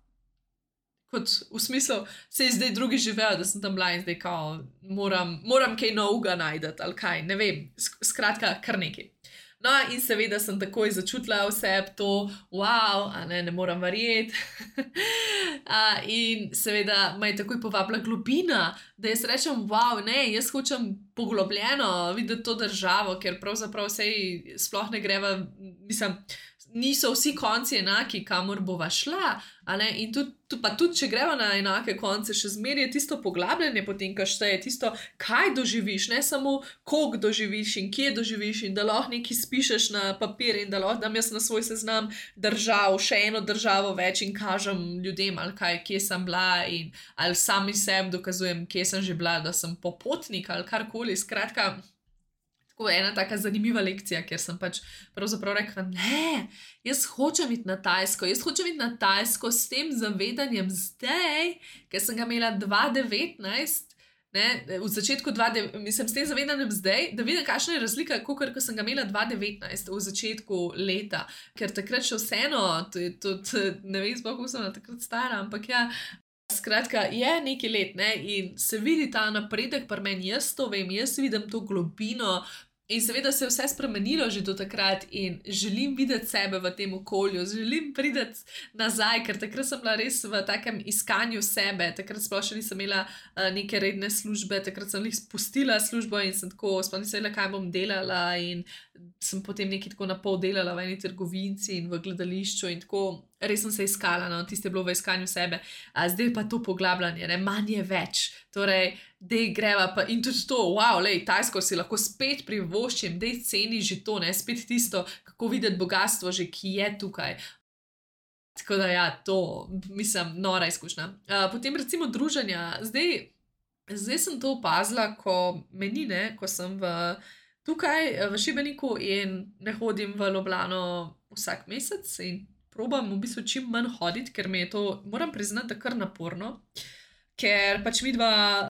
Kot v smislu, se je zdaj drugi živel, da sem tam bila in zdaj kao, moram kaj novega najdeti ali kaj, ne vem, skratka, kar nekaj. No, in seveda sem takoj začutila vse to, wow, ne moram verjeti. In seveda me je takoj povabila globina, da jaz rečem, wow, ne, jaz hočem poglobljeno videti to državo, ker pravzaprav sej sploh ne greva, mislim, niso vsi konci enaki, kamor bova šla, in tudi, če greva na enake konce, še zmeraj je tisto poglabljanje potem, kar šteje, tisto, kaj doživiš, ne samo koliko doživiš in kje doživiš in da lahko nekaj spišeš na papir in da lahko dam jaz na svoj seznam držav, še eno državo več in kažem ljudem, ali kaj, kje sem bila in ali sami sebi dokazujem, kje sem že bila, da sem popotnik ali karkoli, skratka. Tako ena taka zanimiva lekcija, kjer sem pač pravzaprav rekla, ne, jaz hočem iti na Tajsko s tem zavedanjem zdaj, ker sem ga imela 2019, v začetku mislim, s tem zavedanjem zdaj, da vidim, kakšna je razlika, ko sem ga imela 2019 v začetku leta, ker takrat še vseeno, tudi ne vem, kako sem takrat stara, ampak ja, skratka, je nekaj let, in se vidi ta napredek pri meni, jaz to vem, jaz vidim to globino in seveda se je vse spremenilo že do takrat in želim videti sebe v tem okolju, želim priti nazaj, ker takrat sem bila res v takem iskanju sebe, takrat sploh še nisem imela neke redne službe, takrat sem jih spustila službo in sem tako, sploh nisem vedela, kaj bom delala in sem potem nekaj tako na pol delala v eni trgovinci in v gledališču in tako, res sem se iskala, tiste je bilo v iskanju sebe, zdaj pa to poglabljanje, manj je več, torej, dej greva pa in tudi to, wow, Tajsko si lahko spet privoščim, dej ceni že to, spet tisto, kako videti bogatstvo že, ki je tukaj. Tako da ja, to, mislim, nora izkušnja. Potem recimo druženja, zdaj sem to opazila, ko meni, ko sem tukaj v Šibeniku in ne hodim v Ljubljano vsak mesec in probam v bistvu čim manj hoditi, ker mi je to, moram priznati, da kar naporno, ker pač midva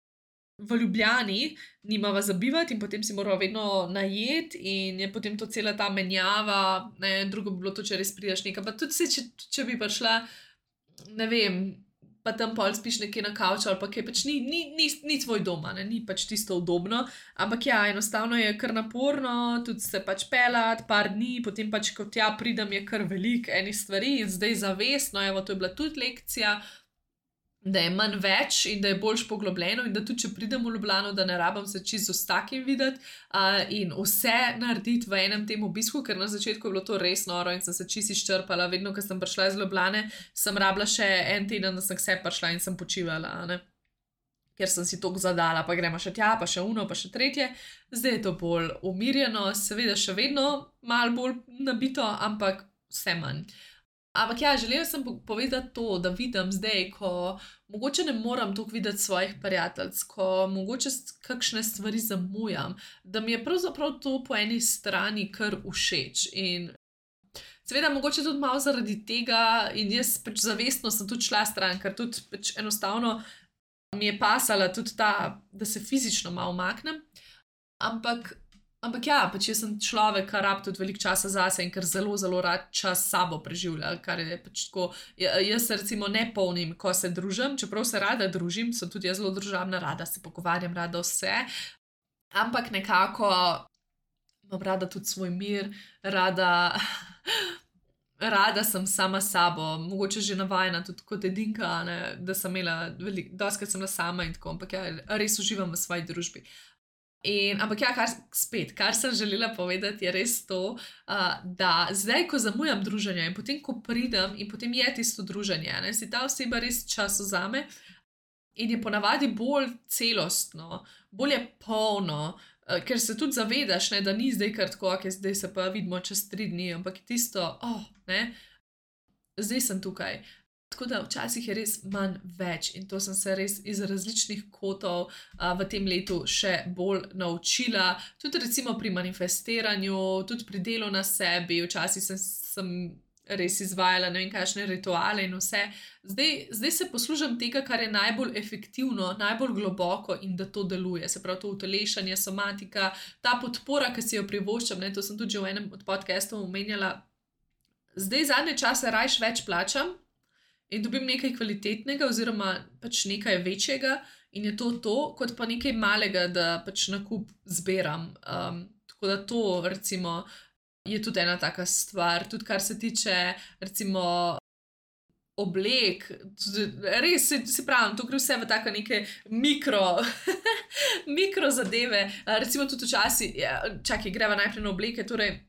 v Ljubljani nimava za bivati in potem si morava vedno najeti in je potem to cela ta menjava, drugo bi bilo to, če res prideš nekaj, pa tudi če bi prišla, ne vem, pa tam pol spiš nekje na kavču ali pa kaj, pač ni tvoj doma, ni pač tisto udobno, ampak ja, enostavno je kar naporno, tudi se pač pelat, par dni, potem pač, ko tja pridem, je kar veliko enih stvari in zdaj zavestno, evo, to je bila tudi lekcija, da je manj več in da je boljš poglobljeno in da tudi, če pridem v Ljubljano, da ne rabim se čisto z vsakim videti in vse narediti v enem tem obisku, ker na začetku je bilo to res noro in sem se čisto izčrpala, vedno, ko sem prišla iz Ljubljane, sem rabila še en teden, da sem k sebi prišla in sem počivala, ker sem si toliko zadala, pa gremo še tja, pa še uno, pa še tretje, zdaj je to bolj umirjeno, seveda še vedno malo bolj nabito, ampak vse manj. Ampak ja, želela sem povedati to, da vidim zdaj, ko mogoče ne moram toliko videti svojih prijateljic, ko mogoče kakšne stvari zamujam, da mi je pravzaprav to po eni strani kar všeč in seveda mogoče tudi malo zaradi tega in jaz pač zavestno sem tudi šla stran, ker tudi pač enostavno mi je pasala tudi ta, da se fizično malo umaknem, ampak ja, pač jaz sem človek, kar rab tudi veliko časa zase in ker zelo, zelo rad čas s sabo preživlja, kar je pač tako, jaz se recimo ne polnim, ko se družim, čeprav se rada družim, sem tudi jaz zelo družabna, rada se pogovarjam, rada vse, ampak nekako imam rada tudi svoj mir, rada sem sama s sabo, mogoče že navajena tudi kot edinka, da sem imela dostikrat sem bila sama in tako, ampak ja, res uživam v svoji družbi. Ampak ja, kar sem želela povedati, je res to, da zdaj, ko zamujam druženje in potem, ko pridem in potem je tisto druženje, si ta oseba res čas vzame in je ponavadi bolj celostno, bolj je polno, ker se tudi zavedaš, da ni zdaj kar tako, zdaj se pa vidimo čez 3 dni, ampak je tisto, zdaj sem tukaj. Tako da včasih je res manj več in to sem se res iz različnih kotov v tem letu še bolj naučila. Tudi recimo pri manifestiranju, tudi pri delu na sebi, včasih sem res izvajala ne vem kakšne rituale in vse. Zdaj se poslužim tega, kar je najbolj efektivno, najbolj globoko in da to deluje. Se pravi, to utelešanje, somatika, ta podpora, ki si jo privoščam, to sem tudi že v enem od podcastov omenjala. Zdaj zadnje čase rajš več plačam in dobim nekaj kvalitetnega oziroma pač nekaj večjega in je to, kot pa nekaj malega, da pač nakup zberam. Tako da to recimo je tudi ena taka stvar, tudi kar se tiče recimo oblek, res se pravim, to gre vse v tako neke mikro zadeve, recimo tudi včasih, greva najprej na obleke, torej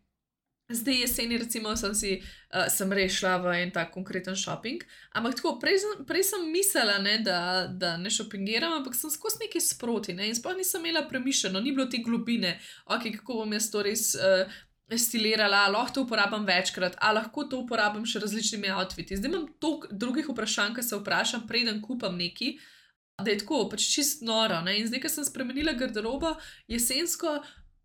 zdaj jeseni recimo sem res šla v en tak konkreten shopping, ampak tako, prej sem mislila, da ne šopingiram, ampak sem skozi nekaj sproti, in sploh nisem imela premišljeno, ni bilo te globine, kako bom jaz to res stilirala, lahko to uporabim večkrat, lahko to uporabim še različnimi outfiti. Zdaj imam toliko drugih vprašanj, ki se vprašam, preden kupam nekaj, da je tako, pač čist noro, in zdaj, ko sem spremenila garderobo jesensko,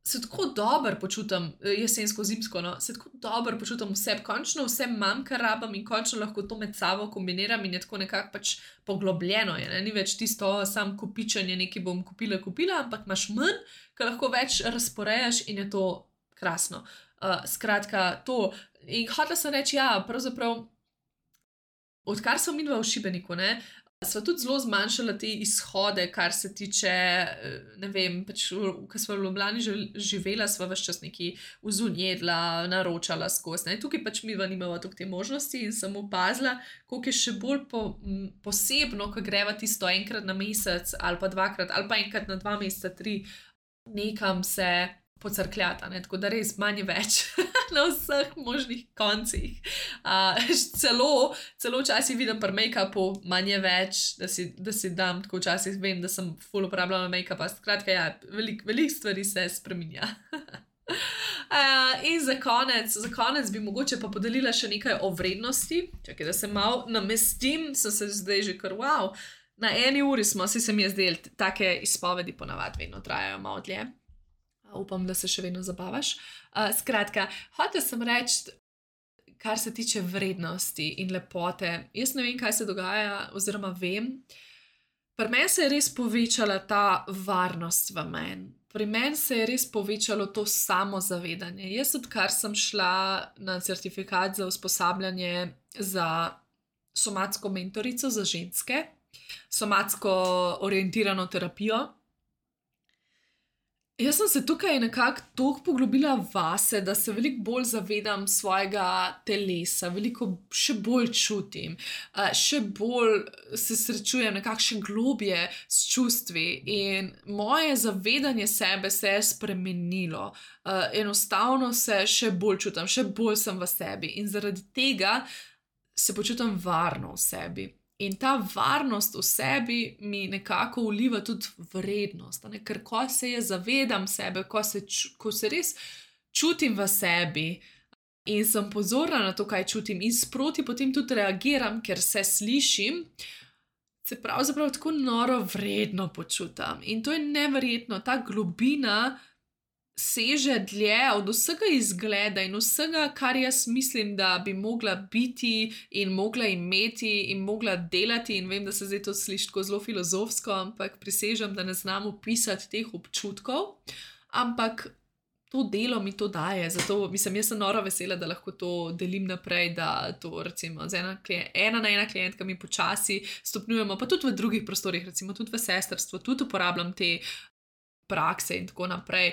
se tako dobro počutim, jesensko-zimsko, se tako dobro počutim vse, končno vse imam, kar rabim in končno lahko to med sabo kombiniram in je tako nekako pač poglobljeno, ni več tisto sam kopičenje, nekaj bom kupila, ampak imaš manj, ker lahko več razporejaš in je to krasno. Skratka, to. In hotela sem reči, pravzaprav, odkar sem midva v Šibeniku, sva tudi zelo zmanjšala te izhode, kar se tiče, ne vem, pač, ko sva v Ljubljani živela, sva ves čas nekaj vzunjedla, naročala skozi. Tukaj pač midva nimava toliko te možnosti in sem opazila, koliko je še bolj posebno, ko greva tisto enkrat na mesec ali pa dvakrat, ali pa enkrat na 2 meseca, 3, nekam se pocrkljata, tako da res manj več na vseh možnih koncih. Celo včasih vidim pri make-upu manj več, da si dam, tako včasih vem, da sem ful uporabljala make-upa, skratka, veliko stvari se spreminja. In za konec bi mogoče pa podelila še nekaj o vrednosti. Čakaj, da se malo namestim, sem se zdaj že kar wow. Na 1 uri smo, se mi je zdel, take izpovedi ponavadi vedno trajajo malo dlje. Upam, da se še vedno zabavaš. Skratka, hotela sem reči, kar se tiče vrednosti in lepote. Jaz ne vem, kaj se dogaja, oziroma vem. Pri meni se je res povečala ta varnost v meni. Pri meni se je res povečalo to samozavedanje. Jaz, odkar sem šla na certifikat za usposabljanje za somatsko mentorico za ženske, somatsko orientirano terapijo, jaz sem se tukaj nekako toliko poglobila vase, da se veliko bolj zavedam svojega telesa, veliko še bolj čutim, še bolj se srečujem nekako še globje s čustvi in moje zavedanje sebe se je spremenilo. Enostavno se še bolj čutim, še bolj sem v sebi in zaradi tega se počutim varno v sebi. In ta varnost v sebi mi nekako vliva tudi vrednost, ker ko se zavedam sebe, ko se res čutim v sebi in sem pozorna na to, kaj čutim in sproti potem tudi reagiram, ker se slišim, se pravzaprav tako noro vredno počutim. In to je neverjetno, ta globina seže dlje od vsega izgleda in vsega, kar jaz mislim, da bi mogla biti in mogla imeti in mogla delati, in vem, da se zdaj to sliši tako zelo filozofsko, ampak prisežem, da ne znam opisati teh občutkov, ampak to delo mi to daje, zato mislim, jaz sem noro vesela, da lahko to delim naprej, da to recimo z ena na ena klientka mi počasi stopnjujemo, pa tudi v drugih prostorih, recimo tudi v sestrstvu, tudi uporabljam te prakse in tako naprej.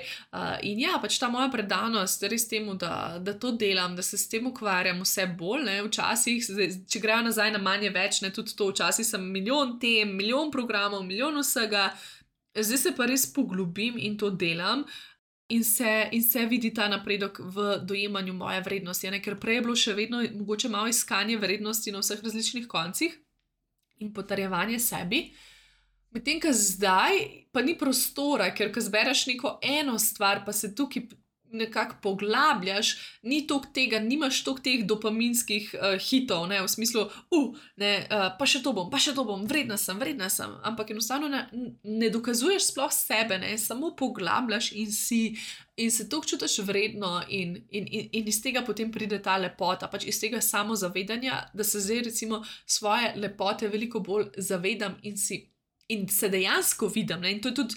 In pač ta moja predanost res temu, da to delam, da se s tem ukvarjam vse bolj, včasih, če grejo nazaj na manje več, tudi to, včasih sem milijon tem, milijon programov, milijon vsega, zdaj se pa res poglobim in to delam in se vidi ta napredek v dojemanju moje vrednosti, ker prej je bilo še vedno mogoče malo iskanje vrednosti na vseh različnih koncih in potrjevanje sebi. Medtem, ko zdaj pa ni prostora, ker ko zbereš neko eno stvar, pa se tukaj nekako poglabljaš, ni toliko tega, nimaš toliko teh dopaminskih hitov, ne, v smislu, pa še to bom, vredna sem, ampak enostavno ne dokazuješ sploh sebe, ne, samo poglabljaš in se toliko čutiš vredno in iz tega potem pride ta lepota, pač iz tega samozavedanja, da se zdaj recimo svoje lepote veliko bolj zavedam in se dejansko vidim. Ne? In to je tudi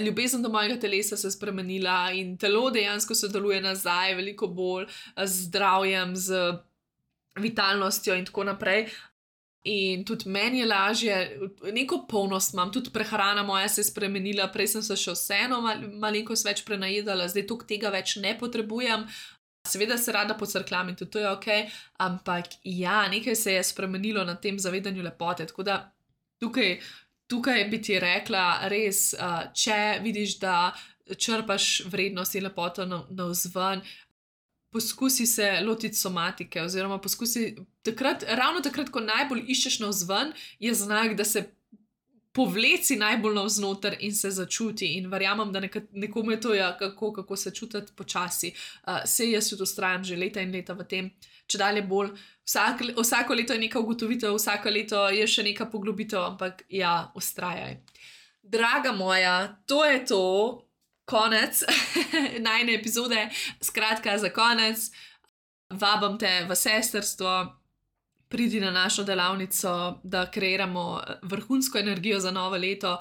ljubezen do mojega telesa se spremenila in telo dejansko se deluje nazaj, veliko bolj z zdravjem, z vitalnostjo in tako naprej. In tudi meni je lažje, neko polnost imam, tudi prehrana moja se je spremenila, prej sem se še vseeno malenkost več prenajedala, zdaj toliko tega več ne potrebujem. Seveda se rada pocrklam in tudi to je ok, ampak ja, nekaj se je spremenilo na tem zavedanju lepote, tako da tukaj bi ti rekla, res, če vidiš, da črpaš vrednost in lepoto navzven, poskusi se lotiti somatike, oziroma poskusi ravno takrat, ko najbolj iščeš navzven, je znak, da se povleci najbolj navznoter in se začuti. In verjamem, da nekomu je to, kako se čutiti počasi. Sej jaz tudi vztrajam že leta in leta v tem, če dalje bolj. Vsako leto je neka ugotovitev, vsako leto je še neka poglobitev, ampak ja, vztrajaj. Draga moja, to je to, konec najine epizode. Skratka, za konec, vabam te v sestrstvo, pridi na našo delavnico, da kreiramo vrhunsko energijo za novo leto.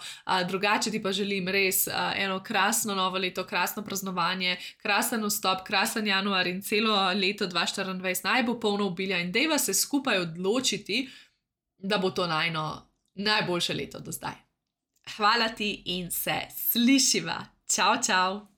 Drugače ti pa želim res eno krasno novo leto, krasno praznovanje, krasen vstop, krasen januar in celo leto 2024 naj bo polno obilja in dejva se skupaj odločiti, da bo to najboljše leto do zdaj. Hvala ti in se slišiva. Čau, čau.